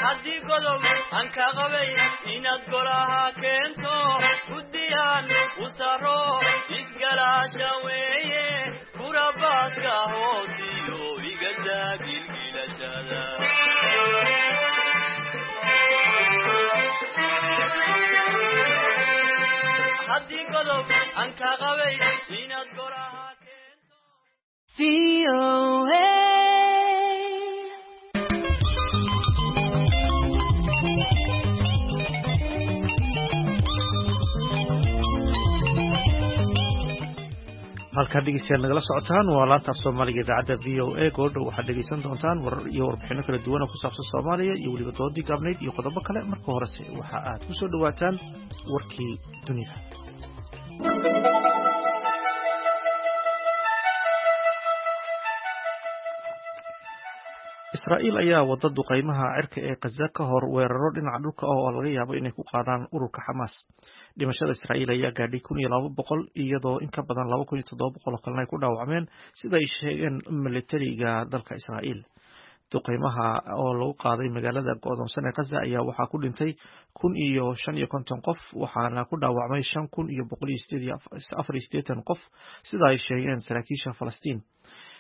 Haddii godob aan ka qabay inaad golaha keento, guddiyaan u saro isgalaasha weeye. Haddii godob aan ka qabay inaad goraha Halkaad dhegeystayaal nagala socotaan waa laanta af Soomaaliga idaacadda V O A. Goordhow waxaad dhegeysan doontaan warar iyo warbixino kala duwan oo ku saabsan Soomaaliya iyo weliba doodii gaabnayd iyo qodobo kale. Marka horese waxa aad ku soo dhawaataan warkii dunida. Israa'iil ayaa wada duqeymaha cirka ee Gaza ka hor weeraro dhinaca dhulka ah oo laga yaabo inay ku qaadaan ururka Xamaas. Dhimashada Israa'iil ayaa gaadhay kun iyo laba boqol, iyadoo in ka badan laba kun iyo toddoba boqol oo kalena ay ku dhaawacmeen, sida ay sheegeen militariga dalka Israa'iil. Duqeymaha oo lagu qaaday magaalada go'doonsan ee Gaza ayaa waxaa ku dhintay kun iyo shan iyo konton qof, waxaana ku dhaawacmay shan kun iyo boqol iyo sideed iyo afar iyo siddeetan qof, sida ay sheegeen saraakiisha Falastiin.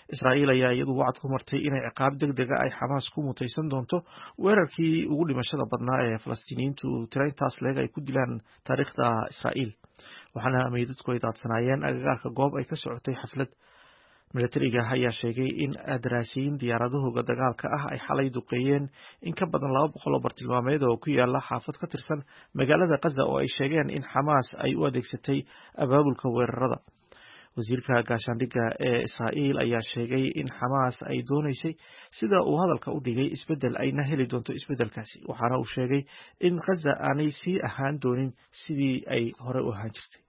Israa'iil ayaa iyadu wacad ku martay inay ciqaab degdega ay Xamaas ku mutaysan doonto weerarkii ugu dhimashada badnaa ee Falastiiniyiintu tiro intaas leeg ay ku dilaan taariikhda Israa'iil, waxaana meydadku ay daadsanaayeen agagaarka goob ay ka socotay xaflad. Militariga ayaa sheegay in daraasiin diyaaradahooda dagaalka ah ay xalay duqeeyeen in ka badan laba boqol oo bartilmaameed oo ku yaala xaafad ka tirsan magaalada Gaza oo ay sheegeen in Xamaas ay u adeegsatay abaabulka weerarada. Wasiirka gaashaandhigga ee Israa'iil ayaa sheegay in Xamaas ay doonaysay, sida uu hadalka u dhigay, isbeddel ayna heli doonto isbeddelkaasi, waxaana uu sheegay in Gaza aanay sii ahaan doonin sidii ay hore u ahaan jirtay.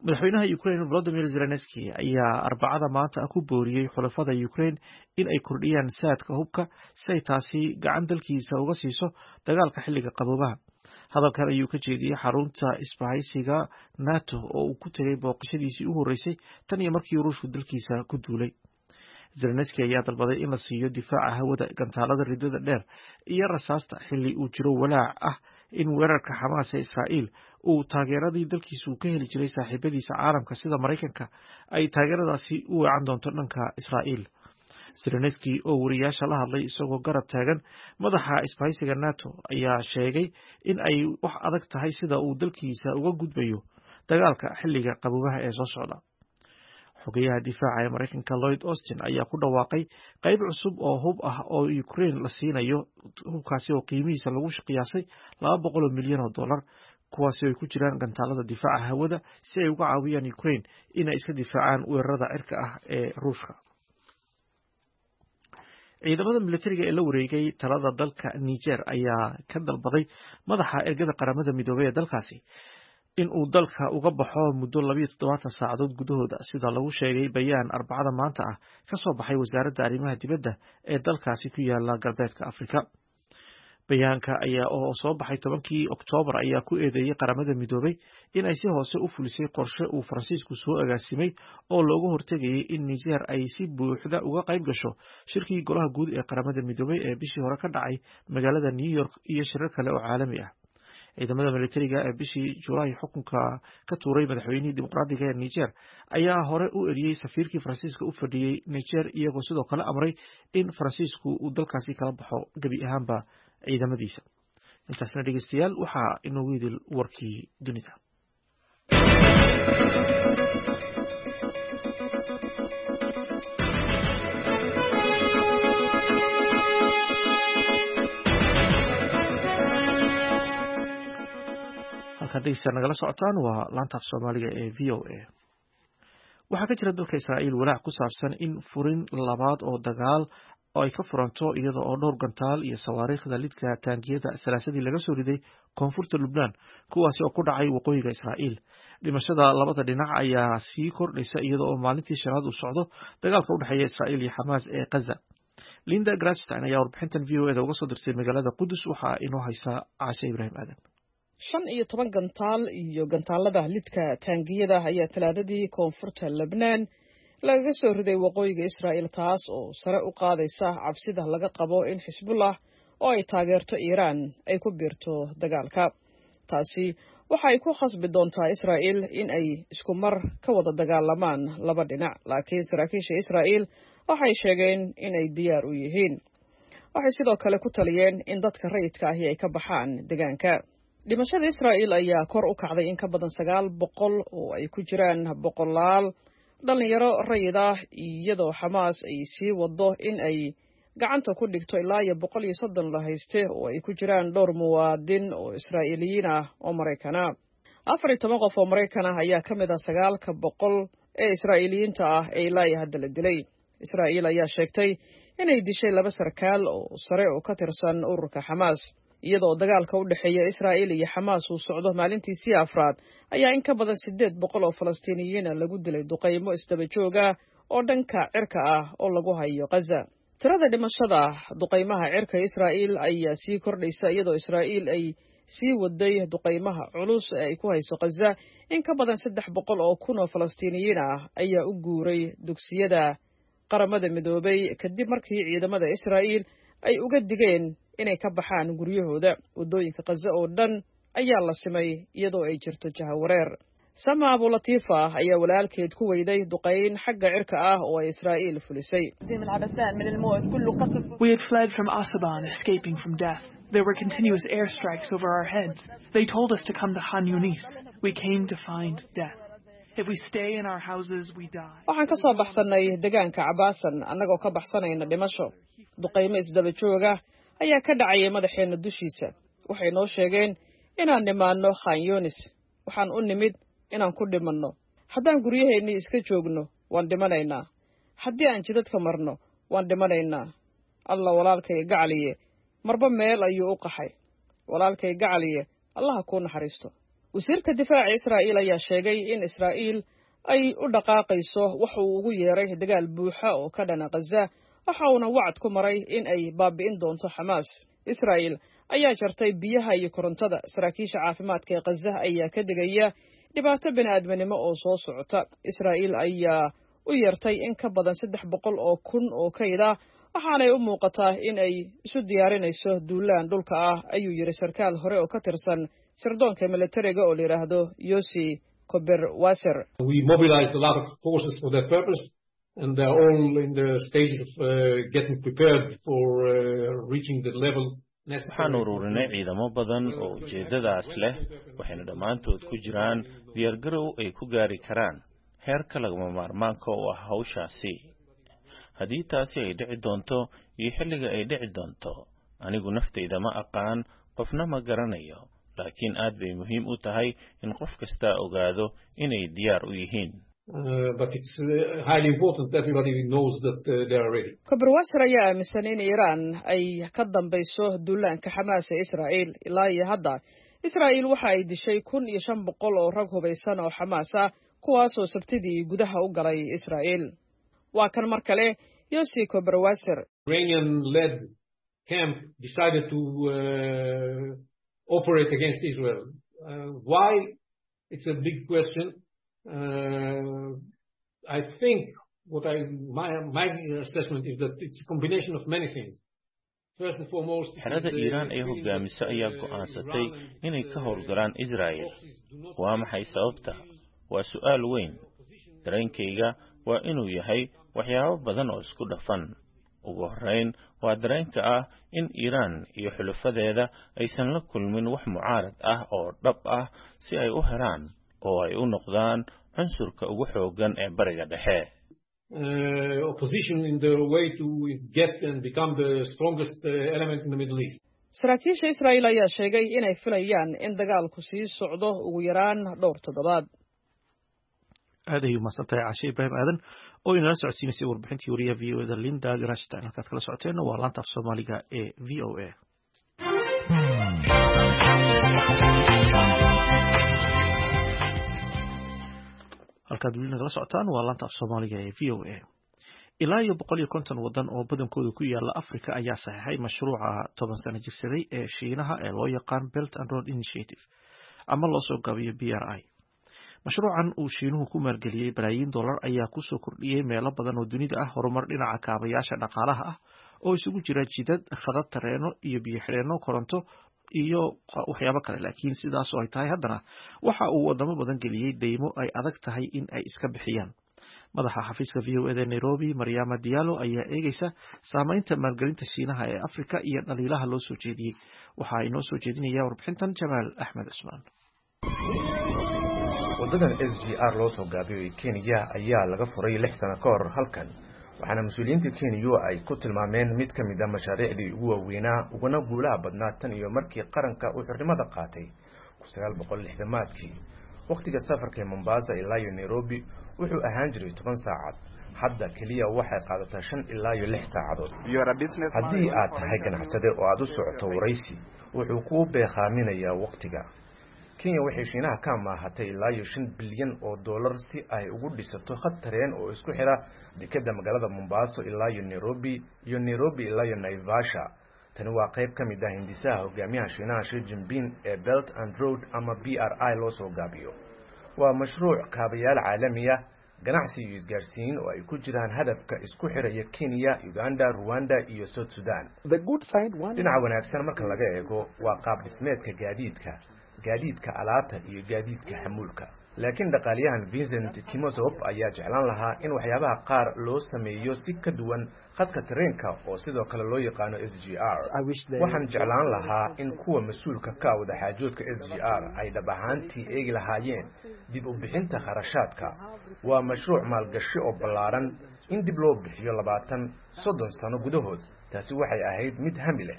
Madaxweynaha Ukraine Volodymyr Zelensky ayaa Arbacada maanta ku booriyey xulafada Ukraine in ay kordhiyaan saadka hubka si ay taasi gacan dalkiisa uga siiso dagaalka xilliga qaboobaha. Hadalkan ayuu ka jeediyey xarunta isbahaysiga NATO oo uu ku tegay booqashadiisii u horreysay tan iyo markii Ruushku dalkiisa ku duulay. Zelensky ayaa dalbaday in la siiyo difaaca hawada, gantaalada ridada dheer iyo rasaasta xilli uu jiro walaac ah in weerarka Xamaas ee Israa'iil uu taageeradii dalkiisu ka heli jiray saaxiibadiisa caalamka sida Maraykanka ay taageeradaasi u weecan doonto dhanka Israa'iil. Zelensky oo wariyaasha la hadlay isagoo garab taagan madaxa isbahaysiga NATO ayaa sheegay in ay wax adag tahay sida uu dalkiisa uga gudbayo dagaalka xilliga qaboobaha ee soo socda. Xogeyaha difaaca ee Maraykanka Lloyd Austin ayaa ku dhawaaqay qayb cusub oo hub ah oo Ukraine la siinayo, hubkaasi oo qiimihiisa lagu qiyaasay laba boqol oo milyan oo dollar, kuwaasi oo ay ku jiraan gantaalada difaaca hawada si ay uga caawiyaan Ukraine inay iska difaacaan weerarada cirka ah ee Ruushka. Ciidamada militariga ee la wareegay talada dalka Niger ayaa ka dalbaday madaxa ergada Qaramada Midoobay ee dalkaasi in uu dalka uga baxo muddo labiyo toddobaatan saacadood gudahooda, sida lagu sheegay bayaan Arbacada maanta ah ka soo baxay wasaaradda arrimaha dibadda ee dalkaasi ku yaala galbeedka Afrika. Bayaanka ayaa oo soo baxay tobankii Oktoobar ayaa ku eedeeyey Qaramada Midoobay in ay si hoose u fulisay qorshe uu Faransiisku soo agaasimay oo looga hortegayay in Niger ay si buuxda uga qayb gasho shirkii Golaha Guud ee Qaramada Midoobay ee bishii hore ka dhacay magaalada New York iyo shirar kale oo caalami ah. Ciidamada militariga ee bishii Julaay xukunka ka tuuray madaxweynihii dimuqraadiga ee Niger ayaa hore u eriyey safiirkii Faransiiska u fadhiyey Niger, iyagoo sidoo kale amray in Faransiisku uu dalkaasi kala baxo gebi ahaanba ciidamadiisa. Intaasna dhegeystayaal waxaa inoogu idil warkii dunida. Halkaad dhegeystayaal nagala socotaan waa laanta af Soomaaliga ee V O A. Waxaa ka jira dalka Israa'iil walaac ku saabsan in furin labaad oo dagaal oo ay ka furanto, iyada oo dhowr gantaal iyo sawaariikhda lidka taangiyada salaasadii laga soo riday koonfurta Lubnaan, kuwaasi oo ku dhacay waqooyiga Israa'iil. Dhimashada labada dhinac ayaa sii kordhaysa iyada oo maalintii shanaad uu socdo dagaalka u dhexeeya Israa'iil iyo Xamaas ee Gaza. Linda Gradstein ayaa warbixintan V O E da uga soo dirtay magaalada Qudus, waxaa inoo haysa Caashe Ibraahim Aadan. Shan iyo toban gantaal iyo gantaalada lidka taangiyada ayaa Talaadadii koonfurta Lebnaan lagaga soo riday waqooyiga Israa'iil, taas oo sare u qaadaysa cabsida laga qabo in Xisbullah oo ay taageerto Iiraan ay ku biirto dagaalka. Taasi waxa ay ku khasbi doontaa Israa'iil in ay isku mar ka wada dagaalamaan laba dhinac, laakiin saraakiisha Israa'iil waxay sheegeen in ay diyaar u yihiin. Waxay sidoo kale ku taliyeen in dadka rayidka ahi ay ka baxaan deegaanka. Dhimashada Israa'iil ayaa kor u kacday in ka badan sagaal boqol oo ay ku jiraan boqolaal dhallinyaro rayid ah, iyadoo Xamaas ay sii wado in ay gacanta ku dhigto ilaa iyo boqol iyo soddon la hayste oo ay ku jiraan dhowr muwaadin oo Israa'iiliyiin ah oo Maraykana. Afar iyo toban qof oo Maraykan ah ayaa ka mid ah sagaalka boqol ee Israa'iiliyiinta ah ee ilaa iyo hadda la dilay. Israa'iil ayaa sheegtay inay dishay laba sarkaal oo sare oo ka tirsan ururka Xamaas. Iyadoo dagaalka u dhexeeya Israa'iil iyo Xamaas uu socdo maalintiisii afraad, ayaa in ka badan siddeed boqol oo Falastiiniyiina lagu dilay duqaymo isdaba joog ah oo dhanka cirka ah oo lagu hayo Ghaza. Tirada dhimashada duqaymaha cirka Israa'iil ayaa sii kordhaysa, iyadoo Israa'iil ay sii waday duqaymaha culus ee ay ku hayso Ghaza. In ka badan saddex boqol oo kun oo Falastiiniyiin ah ayaa u guuray dugsiyada Qaramada Midoobay kadib markii ciidamada Israa'iil ay uga digeen inay ka baxaan guryahooda. Waddooyinka Ghaza oo dhan ayaa la simay iyadoo ay jirto jahawareer. Sama Abulatiifa ayaa walaalkeed ku weyday duqayn xagga cirka ah oo ay Israa'iil fulisay. We had fled from Asaban, escaping from death. There were continuous airstrikes over our heads. They told us to come to Khan Yunis. We came to find death. If we stay in our houses, we die. Waxaan ka soo baxsanay deegaanka Cabaasan annagoo ka baxsanayna dhimasho. Duqaymo isdaba joog ah ayaa ka dhacayay madaxeenna dushiisa. Waxay noo sheegeen inaan nimaanno Khan Yunis. Waxaan u nimid inaan ku dhimanno. Haddaan guryaheennii iska joogno, waan dhimanaynaa. Haddii aan jidadka marno, waan dhimanaynaa. Alla, walaalkay gacaliye marba meel ayuu u qaxay. Walaalkay gacaliye, Allaha kuu naxariisto. Wasiirka difaaca Israa'iil ayaa sheegay in Israa'iil ay u dhaqaaqayso wax uu ugu yeeray dagaal buuxa oo ka dhana Ghaza, waxa uuna wacad ku maray in ay baabi'in doonto Xamaas. Israa'iil ayaa jartay biyaha iyo korontada. Saraakiisha caafimaadka ee Ghaza ayaa ka digaya dhibaato bini'aadminimo oo soo socota. Israa'iil ayaa u yeertay in ka badan saddex boqol oo kun oo kayd ah, waxaanay u muuqataa in ay isu diyaarinayso duulaan dhulka ah, ayuu yidhi sarkaal hore oo ka tirsan sirdoonka militariga oo la yidhaahdo Yosi Koberwaser. We mobilized a lot of forces for that purpose, and they're all in the stage of uh, getting prepared for uh, reaching the level. Waxaan ururinay ciidamo badan oo ujeeddadaas leh, waxayna dhammaantood ku jiraan diyaargarow ay ku gaari karaan heerka lagama maarmaanka u ah hawshaasi. Haddii taasi ay dhici doonto iyo xilliga ay dhici doonto, anigu naftayda ma aqaan, qofna ma garanayo, laakiin aad bay muhiim u tahay in qof kastaa ogaado inay diyaar u yihiin. But it's uh, highly important that everybody knows that uh, they are ready. Koberwaser ayaa aaminsan in Iiraan ay ka dambayso duulaanka Xamaas ee Israa'iil. Ilaa iyo hadda, Israa'iil waxa ay dishay kun iyo shan boqol oo rag hubaysan oo Xamaas ah, kuwaasoo Sabtidii gudaha u galay Israa'iil. Waa kan mar kale Yosi Koberwaser. Iranian-led camp decided to uh, operate against Israel. Uh, why? It's a big question. Uh, I think what I my, my assessment is that it's a combination of many things. First and foremost, Xerada Iiraan ee hogaamisa ayaa go'aansatay inay ka howlgalaan Israa'el. Waa maxay sababta? Waa su'aal weyn. Dareenkayga waa inuu yahay waxyaabo badan oo isku dhafan. Ugu horrayn, waa dareenka ah in Iiraan iyo xulafadeeda aysan la kulmin wax mucaarad ah oo dhab ah si ay u helaan oo ay u noqdaan cunsurka ugu xooggan ee Bariga Dhexe. uh, opposition in the way to get and become the strongest uh, element in the Middle East. Saraakiisha Israa'iil ayaa sheegay inay filayaan in dagaalku sii socdo ugu yaraan dhowr toddobaad. Aad ayay umahadsan tahay Caashe Ibraahim Aadan oo inala socodsiinaysay warbixintii wariyaha V O E da Linda Grashtan. Halkaad kala socoteenna waa laanta af Soomaaliga ee V O A. Halkaad weli nagala socotaan waa laanta af Soomaaliga ee V O A. Ilaa iyo boqol iyo konton wadan oo badankooda ku yaala Afrika ayaa saxeexay mashruuca toban sano jirsaday ee Shiinaha ee loo yaqaan Belt and Road Initiative, ama loo soo gaabiyo B R I. Mashruucan uu Shiinuhu ku maalgeliyey balaayiin dollar ayaa kusoo kordhiyey meelo badan oo dunida ah horumar dhinaca kaabayaasha dhaqaalaha ah oo isugu jira jidad, khadad tareeno iyo biyo xidheenno, koronto iyo waxyaabo kale. Laakiin sidaasoo ay tahay, haddana waxa uu wadamo badan geliyey deymo ay adag tahay in ay iska bixiyaan. Madaxa xafiiska V O E da Nairobi, Maryama Diallo, ayaa eegeysa saameynta maalgelinta Shiinaha ee Afrika iyo dhaliilaha loo soo jeediyey. Waxaa inoo soo jeedinaya warbixintan Jamaal Axmed Cusmaan. Waddadan S G R loo soo gaabiyo ee Kenya ayaa laga furay lix sano ka hor halkan, waxaana mas-uuliyiinta Kenya ay ku tilmaameen mid ka mid a mashaariicdii ugu waaweynaa uguna guulaha badnaa tan iyo markii qaranka uu xornimada qaatay kun sagaal boqol lixdamaadkii. Wakhtiga safarka ee Mombasa ilaa iyo Nairobi wuxuu ahaan jiray toban saacad, hadda keliya waxay qaadataa shan ilaa iyo lix saacadood. Haddii aad tahay ganacsade oo aad u socoto waraysi, wuxuu kuu beekhaaminayaa wakhtiga. Kenya waxay Shiinaha ka amaahatay ilaa iyo shan bilyan oo dollar si ay ugu dhisato khad tareen oo isku xira dekeda magaalada Mombasa ilaa iyo Nairobi iyo Nairobi ilaa iyo Naivasha. Tani waa qayb ka mid ah hindisaha hogaamiyaha Shiinaha Xi Jinping ee Belt and Road ama B R I loo soo gaabiyo. Waa mashruuc kaabayaal caalami ah, ganacsi iyo isgaarsiin oo ay ku jiraan hadafka isku xiraya Kenya, Uganda, Rwanda iyo South Sudan. Dhinaca wanaagsan marka laga eego waa qaab dhismeedka gaadiidka, gaadiidka alaabta iyo gaadiidka xamuulka. Laakiin dhaqaaliyahan Vincent Kimosop ayaa jeclaan lahaa in waxyaabaha qaar loo sameeyo si ka duwan khadka tareenka oo sidoo kale loo yaqaano S G R. Waxaan jeclaan lahaa in kuwa mas-uulka ka ah wadaxaajoodka S G R ay dhab ahaantii eegi lahaayeen dib u bixinta kharashaadka. Waa mashruuc maalgashi oo ballaaran in dib loo bixiyo labaatan soddon sano gudahood. Taasi waxay ahayd mid hami leh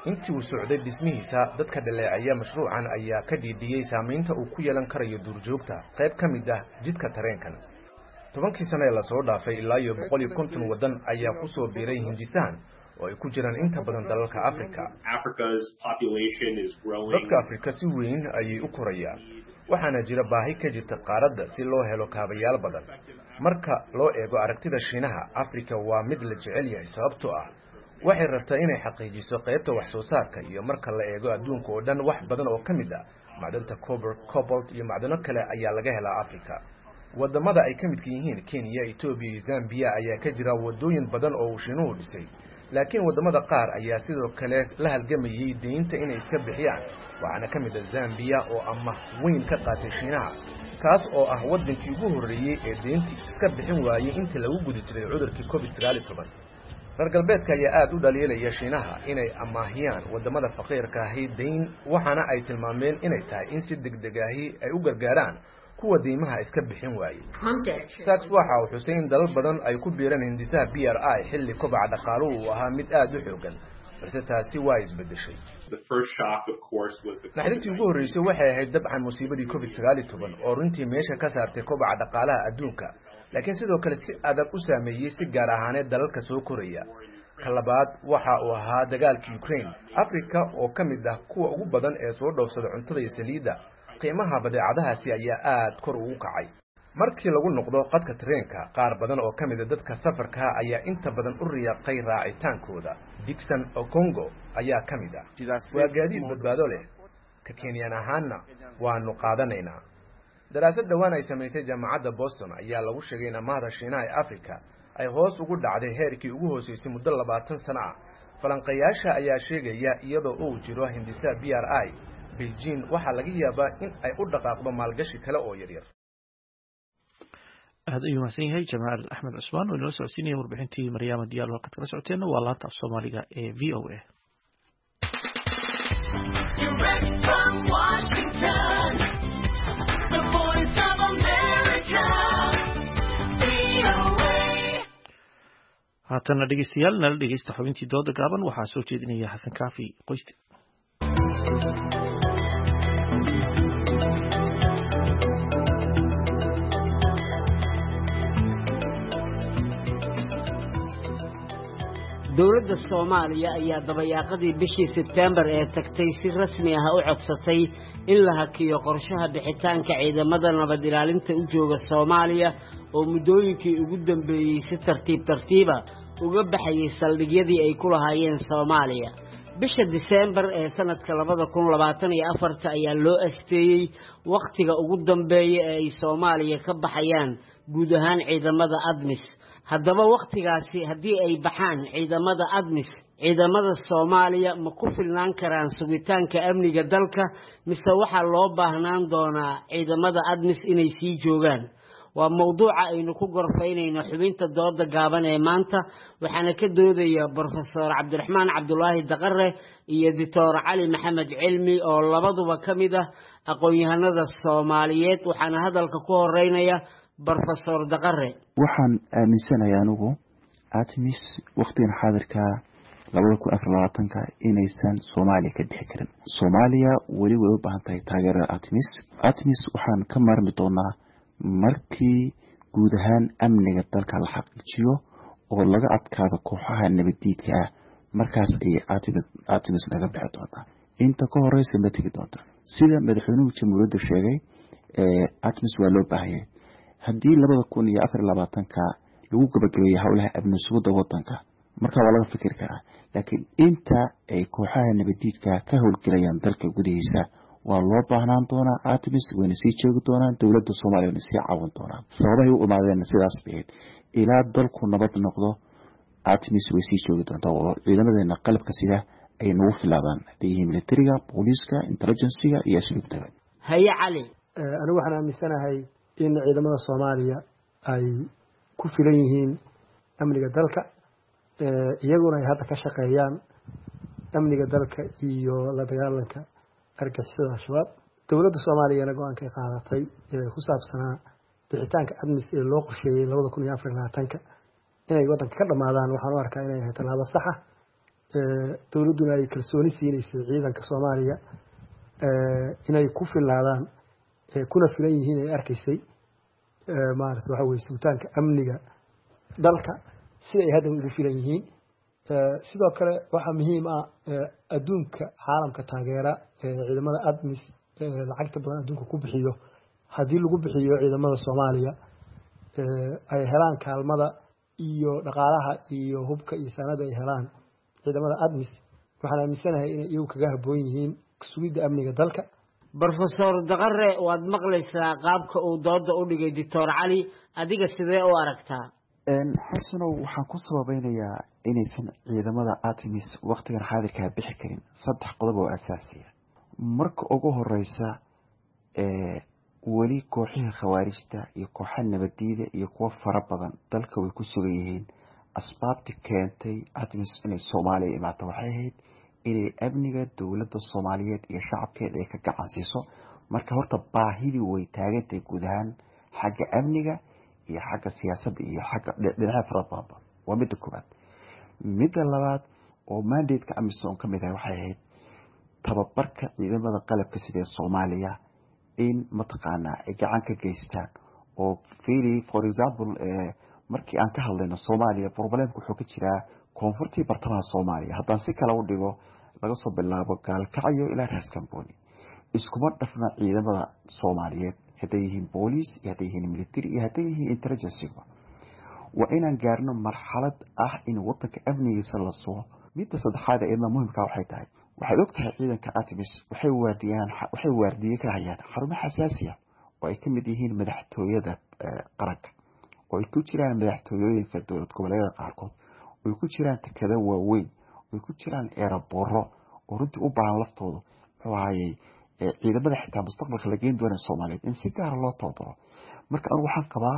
intii uu socday dhismihiisa. Dadka dhaleecaya mashruucan ayaa ka dhiidhiyey saamaynta uu ku yeelan karayo duurjoogta qayb ka mid ah jidka tareenkan. Tobankii sano ee lasoo dhaafay, ilaa iyo boqol iyo konton waddan ayaa ku soo biiray hindisahan oo ay ku jiraan inta badan dalalka Africa. Dadka Afrika si weyn ayay u korayaan, waxaana jira baahi ka jirta qaaradda si loo helo kaabayaal badan. Marka loo eego aragtida Shiinaha, Afrika waa mid la jecel yahay sababtoo ah waxay rabtaa inay xaqiijiso qaybta wax soo saarka, iyo marka la eego adduunka oo dhan, wax badan oo ka mid ah macdanta copper, cobalt iyo macdano kale ayaa laga helaa Africa. Wadamada ay ka midka yihiin Kenya, Etoobiya iyo Zambiya ayaa ka jira wadooyin badan oo uu Shiinuhu dhisay, laakiin wadamada qaar ayaa sidoo kale la halgamayay deynta inay iska bixiyaan. Waxaana ka mid ah Zambiya oo amaah weyn ka qaatay Shiinaha, kaas oo ah waddankii ugu horreeyey ee deyntii iska bixin waayey intii lagu guda jiray cudurkii covid sagaal iyo toban. Reer galbeedka ayaa aada u dhaliilaya Shiinaha inay amaahiyaan wadamada faqiirka ahi deyn, waxaana ay tilmaameen inay tahay in si degdeg ahi ay u gargaaraan kuwa deymaha iska bixin waayey. Sachs waxa uu xusay in dalal badan ay ku biireen hindisaha B R I xilli kobaca dhaqaaluhu uu ahaa mid aada u xoogan, balse taasi waa isbedeshay. Naxdintii ugu horreysay waxay ahayd dabcan musiibadii covid sagaal iyo toban oo runtii meesha ka saartay kobaca dhaqaalaha adduunka, laakiin sidoo kale si adag u saameeyey si gaar ahaaneed dalalka soo koraya. Ka labaad waxa uu ahaa dagaalka Ukraine. Africa oo ka mid ah kuwa ugu badan ee soo dhoofsada cuntada iyo saliidda, qiimaha badeecadahaasi ayaa aada kor ugu kacay. Markii lagu noqdo qadka tareenka, qaar badan oo ka mid a dadka safarka ayaa inta badan u riyaaqay raacitaankooda. Dixon Okongo ayaa ka mid ah. Waa gaadiid badbaado leh, ka Kenyan ahaanna waanu qaadanaynaa. Daraasad dhowaan ay samaysay jaamacadda Boston ayaa lagu sheegay in amaahda Shiinaha ee Africa ay hoos ugu dhacday heerkii ugu hooseysay muddo labaatan sano ah. Falanqayaasha ayaa sheegaya iyadoo uu jiro hindisaha B R I, Beijing waxaa laga yaabaa in ay u dhaqaaqdo maalgashi kale oo yaryar. Aad ayuu mahadsan yahay Jamaal Axmed Cusmaan oo inala socodsiinaya warbixintii Maryaama Diyaalo. Halkaad kala socoteenna waa laanta af Soomaaliga ee V O A. Direct from Washington, the voice of America, V O A. Haatana dhegeystayaal, nala dhegeysta xubintii dooda gaaban. Waxaa soo jeedinaya Xasan Kaafi Qoyste. Dowladda Soomaaliya ayaa dabayaaqadii bishii Sebteembar ee tagtay si rasmi ah u codsatay in la hakiyo qorshaha bixitaanka ciidamada nabad ilaalinta u jooga Soomaaliya oo muddooyinkii ugu dambeeyey si tartiib tartiiba uga baxayay saldhigyadii ay ku lahaayeen Soomaaliya. Bisha Diseembar ee sanadka labada kun labaatan iyo afarta ayaa loo asteeyey wakhtiga ugu dambeeya ee ay Soomaaliya ka baxayaan guud ahaan ciidamada ADMIS. Haddaba wakhtigaasi haddii ay baxaan ciidamada ADMIS, ciidamada Soomaaliya ma ku filnaan karaan sugitaanka amniga dalka, mise waxaa loo baahnaan doonaa ciidamada ADMIS inay sii joogaan? Waa mowduuca aynu ku gorfaynayno xubinta dooda gaaban ee maanta, waxaana ka doodaya Brofesor Cabdiraxmaan Cabdulaahi Daqare iyo Doctor Cali Maxamed Cilmi oo labaduba ka mid ah aqoon-yahanada Soomaaliyeed. Waxaana hadalka ku horeynaya Brofesor Daqare. Waxaan aaminsanahay anigu ATMIS waqtigan xaadirka labada kun afar labaatanka inaysan Soomaaliya ka bixi karin. Soomaaliya weli way u baahan tahay taageerada ATMIS. ATMIS waxaan ka maarmi doonaa markii guud ahaan amniga dalka la xaqiijiyo oo laga adkaado kooxaha nabadiidka ah, markaas ayay ATMIS naga bixi doontaa. Inta ka horeysa ma tegi doonta. Sida madaxweynuhu jamhuuriyadda sheegay, ATMIS waa loo baahanyay. Haddii labada kun iyo afar labaatanka lagu gabagabeeyey howlaha amni sugidda wadanka, marka waa laga fikiri karaa, laakiin inta ay kooxaha nabadiidka ka howlgelayaan dalka gudihiisa waa loo baahnaan doonaa ATMIS, wayna sii joogi doonaan, dowladda Soomaaliya wayna sii caawin doonaan. Sababahay u imaadeenna sidaas bay ahayd. Ilaa dalku nabad noqdo ATMIS way sii joogi doontaa oo ciidamadeena qalabka sida ay nagu filaadaan, hadday yihiin militariga, booliiska, intelligenciga iyo asluubtaba. Haye Cali. Anigu waxaan aaminsanahay in ciidamada Soomaaliya ay ku filan yihiin amniga dalka, iyaguna ay hadda ka shaqeeyaan amniga dalka iyo la dagaalanka argagixisada Al-Shabaab. Dowladda Soomaaliyana go-aankay qaadatay ee ku saabsanaa bixitaanka ATMIS ee loo qorsheeyey labada kun iyo afar iyo labaatanka inay waddanka ka dhammaadaan, waxaan u arkaa inay ahay tallaabo saxa. Dowladduna ay kalsooni siinaysay ciidanka Soomaaliya inay ku filaadaan kuna filan yihiin ay arkaysay maarata waxa weye sugitaanka amniga dalka sida ay hadda ugu filan yihiin. Sidoo kale waxaa muhiim ah adduunka caalamka taageera ciidamada ATMIS lacagta badan adduunka ku bixiyo, haddii lagu bixiyo ciidamada Soomaaliya ay helaan kaalmada iyo dhaqaalaha iyo hubka iyo sanada ay helaan ciidamada ATMIS, waxaan aaminsanahay inay iyagu kaga habboon yihiin sugidda amniga dalka. Brofesor Daqare, waad maqlaysaa qaabka uu dooda u dhigay Doctor Cali, adiga sidee u aragtaa? Xasanow, waxaan ku sababeynayaa inaysan ciidamada ATMIS waqtigan xaadirkaa bixi karin saddex qodob oo asaasiya. Marka ugu horeysa, weli kooxihii khawaarijta iyo kooxa nabadiida iyo kuwo fara badan dalka way ku sugan yihiin. Asbaabti keentay ATMIS inay Soomaaliya imaato waxay ahayd inay amniga dowladda Soomaaliyeed iyo shacabkeeda ay ka gacan siiso. Marka horta baahidii way taagantahay guud ahaan xagga amniga iyo xagga siyaasadda iyo xagga dhinacyo fara badanba. Waa midda koowaad. Midda labaad oo mandate-ka AMISOM ka mid ahay waxay ahayd tababarka ciidamada qalabka sida ee Soomaaliya in mataqaanaa ay gacan ka geystaan. Oo fiiri, for example, markii aan ka hadlayno Soomaaliya, problemka wuxuu ka jiraa koonfurtii bartamaha Soomaaliya. Haddaan si kale u dhigo, laga soo bilaabo Gaalkacyo ilaa Raaskambooni iskuma dhafna ciidamada Soomaaliyeed, hadday yihiin booliis iyo hadday yihiin military iyo hadday yihiin intelligenceba. Waa inaan gaarno marxalad ah in wadanka amnigiisa la sugo. Midda saddexaad ee iyadna muhimka waxay tahay, waxaad og tahay ciidanka ATMIS waxay waardiyaan waxay waardiye ka hayaan xarumo xasaasi ah oo ay ka mid yihiin madaxtooyada qaranka, oo ay ku jiraan madaxtooyooyinka dowlad goboleedyada qaarkood, oo ay ku jiraan tekada waaweyn, oo ay ku jiraan eerabooro, oo runtii u baahan laftoodu muxuu ahayey ciidamada xitaa mustaqbalka la geyn doona Soomaaliyeed in si gaara loo tababaro. Marka anigu waxaan qabaa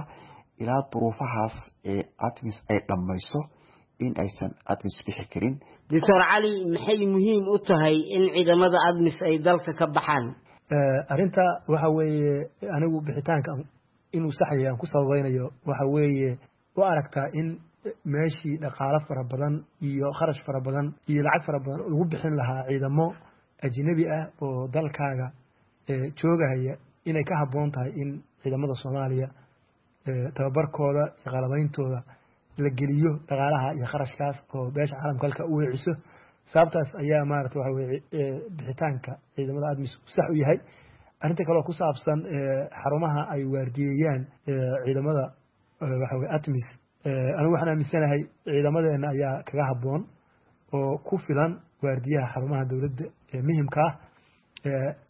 ilaa duruufahaas ee ATMIS ay dhammayso in aysan ATMIS bixi karin. Doctor Cali, maxay muhiim u tahay in ciidamada ATMIS ay dalka ka baxaan? Arrinta waxa weeye anigu bixitaanka inuu saxaya aan ku sabaynayo waxa weeye u aragtaa in meeshii dhaqaalo fara badan iyo kharash fara badan iyo lacag fara badan lagu bixin lahaa ciidamo ajnabi ah oo dalkaaga joogahaya, inay ka habboon tahay in ciidamada Soomaaliya tababarkooda iyo qalabeyntooda la geliyo dhaqaalaha iyo kharashkaas oo beesha caalamka halka u weeciso. Sababtaas ayaa maarata waxa weye bixitaanka ciidamada ATMIS sax u yahay. Arrinta kaloo ku saabsan xarumaha ay waardiyeeyaan ciidamada waxa weye ATMIS, anigu waxaan aaminsanahay ciidamadeena ayaa kaga habboon oo ku filan waardiyaha xarumaha dowladda ee muhimka ah.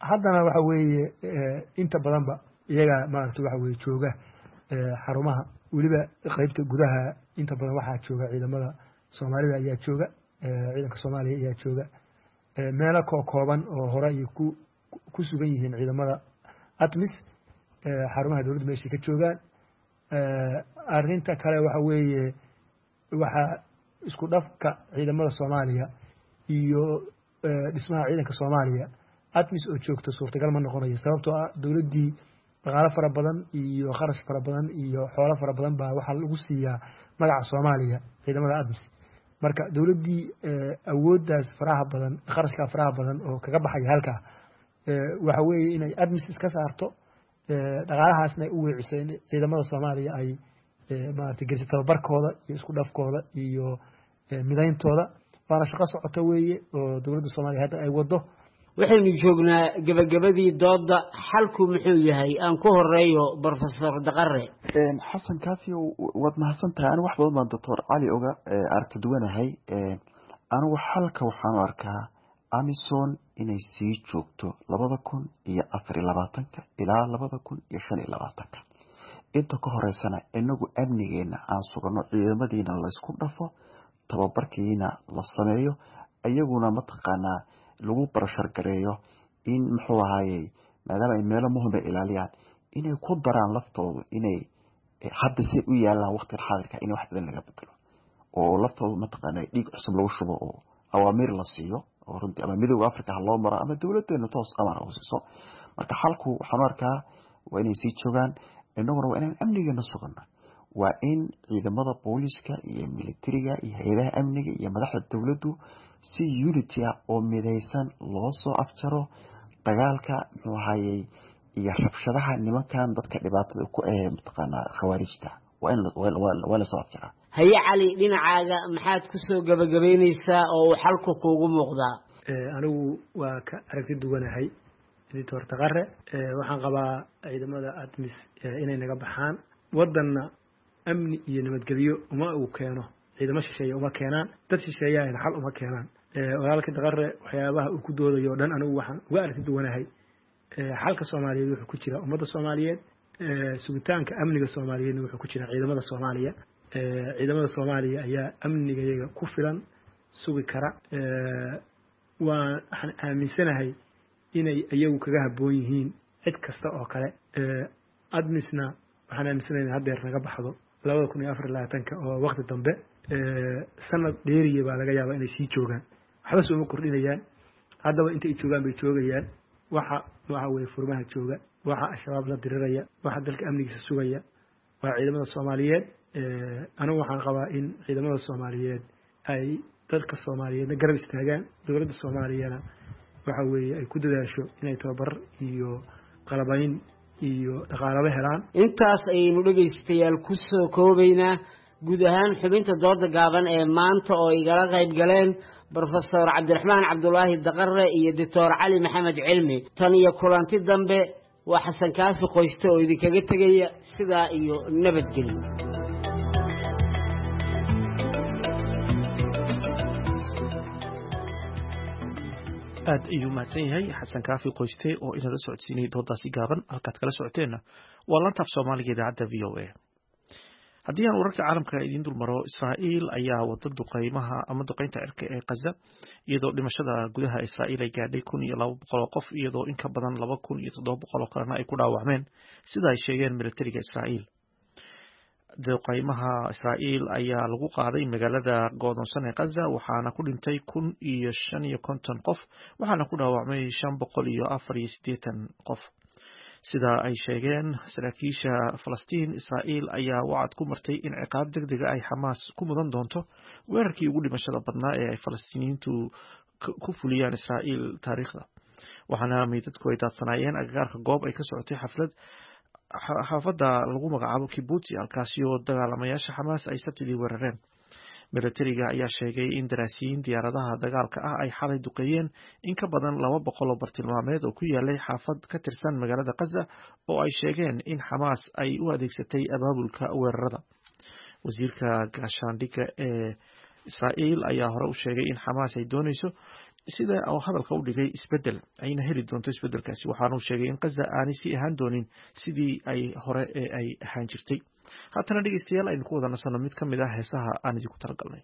Haddana waxa weeye inta badanba iyaga maarata waxa weye jooga xarumaha, weliba qeybta gudaha inta badan waxaa jooga ciidamada Soomaalida ayaa jooga, ciidanka Soomaaliya ayaa jooga. Meelo koo kooban oo hore ay ku ku sugan yihiin ciidamada ATMIS xarumaha dowladda meeshay ka joogaan. Arrinta kale waxa weeye, waxaa isku dhafka ciidamada Soomaaliya iyo dhismaha ciidanka Soomaaliya ATMIS oo joogta suurtagal ma noqonayo, sababtoo ah dowladdii dhaqaalo fara badan iyo kharash fara badan iyo xoolo fara badan baa waxaa lagu siiyaa magaca Soomaaliya ciidamada ATMIS. Marka dowladdii awooddaas faraha badan, kharashkaa faraha badan oo kaga baxaya halkaa, waxa weeye inay ATMIS iska saarto, dhaqaalahaasna ay u weeciso in ciidamada Soomaaliya ay maarata geliso tababarkooda iyo isku dhafkooda iyo midayntooda. Waana shaqo socota weeye oo dowladda Soomaaliya hadda ay wado. Waxaynu joognaa gebagabadii dooda. Xalku muxuu yahay? Aan ku horeeyo Brofesor Daqare. Xasan Kaafi, waad mahadsan tahay. Anigu wax badan baan Doctor Cali oga aragti duwanahay. Anigu xalka waxaan u arkaa AMISOM inay sii joogto labada kun iyo afar iyo labaatanka ilaa labada kun iyo shan iyo labaatanka. Inta ka horeysana inagu amnigeena aan sugano, ciidamadiina laysku dhafo, tababarkiina la sameeyo, iyaguna mataqaanaa lagu barashargareeyo in muxuu ahaayey, maadaama ay meelo muhima ilaaliyaan, inay ku daraan laftoodu inay hadda si u yaalaan waqtigan xaadirka in wax badan laga bedelo, oo laftoodu mataqaana dhiig cusub lagu shubo oo awaamiir la siiyo, oo runtii ama Midowga Africa ha loo maro ama dowladeena toos amar u siiso. Marka xalku waxaan u arkaa waa inay sii joogaan, inaguna waa inaan amnigeena sugano. Waa in ciidamada booliska iyo militariga iyo hay-adaha amniga iyo madaxda dowladdu si unity ah oo midaysan loo soo afjaro dagaalka muxuu ahaayey iyo rabshadaha nimankan dadka dhibaatada ku eh mataqaanaa khawaarijta. Waa in waa lasoo afjaraa. Haye Cali, dhinacaaga maxaad ku soo gabagabaynaysaa oo uu xalku kuugu muuqdaa? Anigu waa ka aragti duwanahay Doctor Daqare. Waxaan qabaa ciidamada ATMIS inay naga baxaan. Wadanna amni iyo nabadgelyo uma uu keeno ciidamo shisheeye, uma keenaan dad shisheeyaana xal uma keenaan. Walaalka Daqare waxyaabaha uu ku doodayo o dhan anigu waxaan uga aragti duwanahay. Xalka Soomaaliyeed wuxuu ku jira ummadda Soomaaliyeed, sugitaanka amniga Soomaaliyeedna wuxuu ku jira ciidamada Soomaaliya. Ciidamada Soomaaliya ayaa amnigayaga ku filan sugi kara. Waan waxaan aaminsanahay inay iyagu kaga habboon yihiin cid kasta oo kale. ATMISna waxaan aaminsanahay in haddeer naga baxdo labada kun iyo afar iyo labaatanka oo waqti dambe sanad dheeriya baa laga yaabaa inay sii joogaan. Waxba sooma kordhinayaan, haddaba intay joogaan bay joogayaan. Waxa waxa weye furmaha jooga, waxa Al-Shabaab la diriraya, waxa dalka amnigiisa sugaya waa ciidamada Soomaaliyeed. Anigu waxaan qabaa in ciidamada Soomaaliyeed ay dadka Soomaaliyeedna garab istaagaan, dowladda Soomaaliyana waxa weeye ay ku dadaasho inay tababar iyo qalabayn iyo dhaqaalaba helaan. Intaas ayaynu dhegaystayaal ku soo koobaynaa guud ahaan xubinta dooda gaaban ee maanta oo igala qayb galeen Brofesor Cabdiraxmaan Cabdulaahi Daqare iyo Doctor Cali Maxamed Cilmi. Tan iyo kulanti dambe, waa Xasan Kaafi Qoyste oo idinkaga tegaya sidaa iyo nabadgelyo. Aad ayuu mahadsan yahay Xasan Kaafi Qoyste oo inala socodsiinayay doodaasi gaaban. Halkaad kala socoteenna waa laanta af Soomaaliga idaacadda V O A. Haddii aan wararka caalamka idiin dulmaro, Israa'iil ayaa wada duqeymaha ama duqeynta cirka ee Gaza, iyadoo dhimashada gudaha Israa'iil ay gaadhay kun iyo laba boqol oo qof, iyadoo in ka badan laba kun iyo toddoba boqol oo kalena ay ku dhaawacmeen, sida ay sheegeen militariga Israa'iil. Duqeymaha Israa'iil ayaa lagu qaaday magaalada go'doonsan ee Gaza, waxaana ku dhintay kun iyo shan iyo konton qof, waxaana ku dhaawacmay shan boqol iyo afar iyo siddeetan qof, sida ay sheegeen saraakiisha Falastiin. Israa'iil ayaa wacad ku martay in ciqaab degdega ay Xamaas ku mudan doonto weerarkii ugu dhimashada badnaa ee ay Falastiiniyiintu ku fuliyaan Israa'iil taariikhda, waxaana meydadku ay daadsanaayeen agagaarka goob ay ka socotay xaflad xaafadda lagu magacaabo Kibbutz, halkaasi oo dagaalamayaasha Xamaas ay Sabtidii weerareen. Milatariga ayaa sheegay in daraasiyiin diyaaradaha dagaalka ah ay xalay duqeeyeen in ka badan laba boqol oo bartilmaameed oo ku yaalay xaafad ka tirsan magaalada Gaza, oo ay sheegeen in Xamaas ay u adeegsatay abaabulka weerarada. Wasiirka gaashaandhigga ee Israa'iil ayaa hore u sheegay in Xamaas ay doonayso, sida oo hadalka u dhigay, isbedel, ayna heli doonto isbedelkaasi, waxaana uu sheegay in Gaza aanay sii ahaan doonin sidii ay hore ee ay ahaan jirtay. Haatana dhegeystayaal, aynu ku wada nasanno mid ka mid ah heesaha aan idinku talagalnay.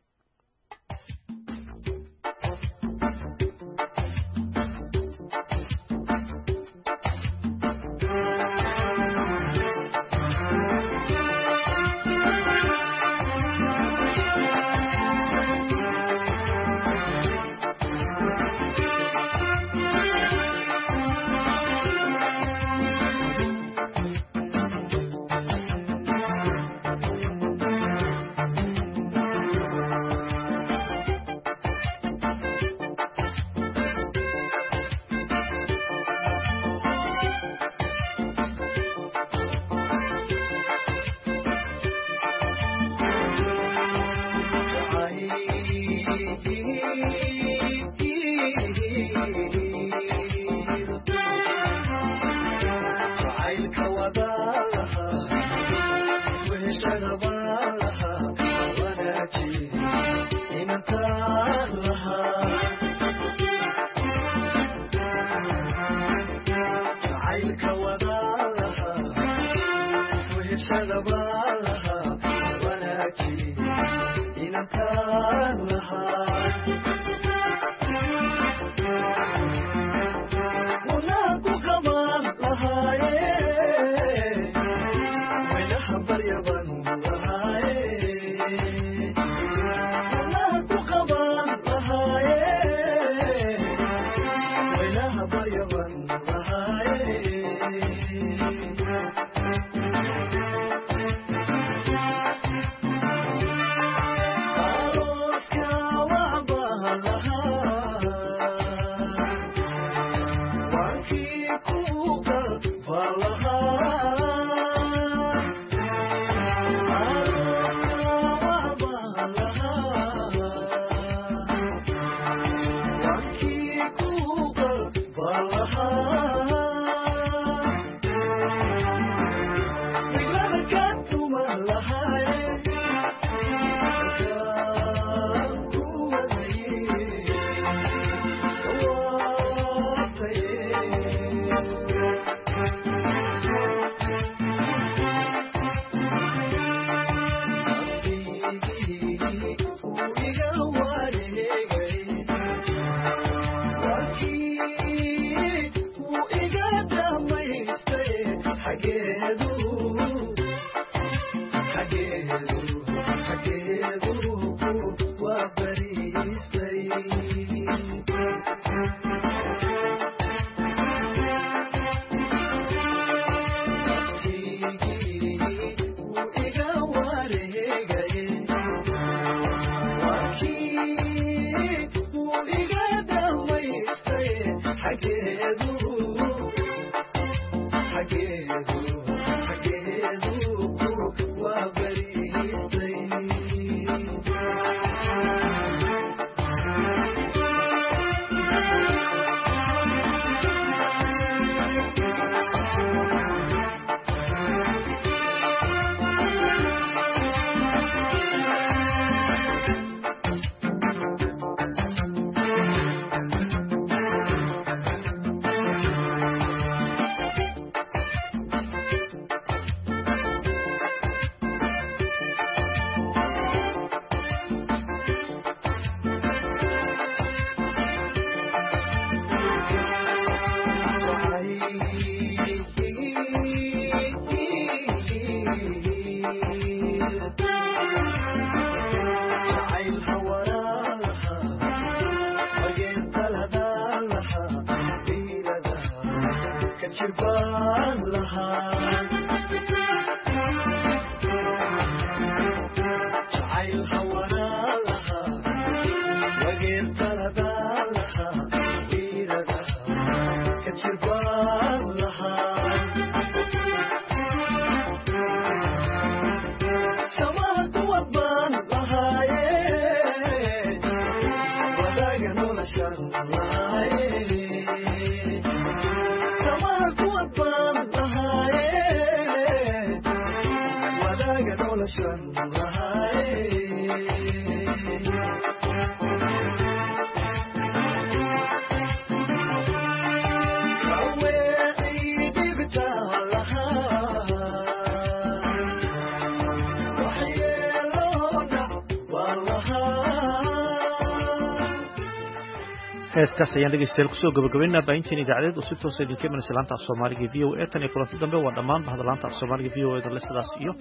Heeskaas ayaan dhegeystayaal kusoo gabagabaynaa baahinteen idaacadeed oo si toosa idinka imanaysa laanta af Soomaaliga V O A. Tan iyo kulanti dambe waa dhammaan bahda laanta af Soomaaliga V O A da le sidaas iyo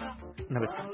nabadgelyo.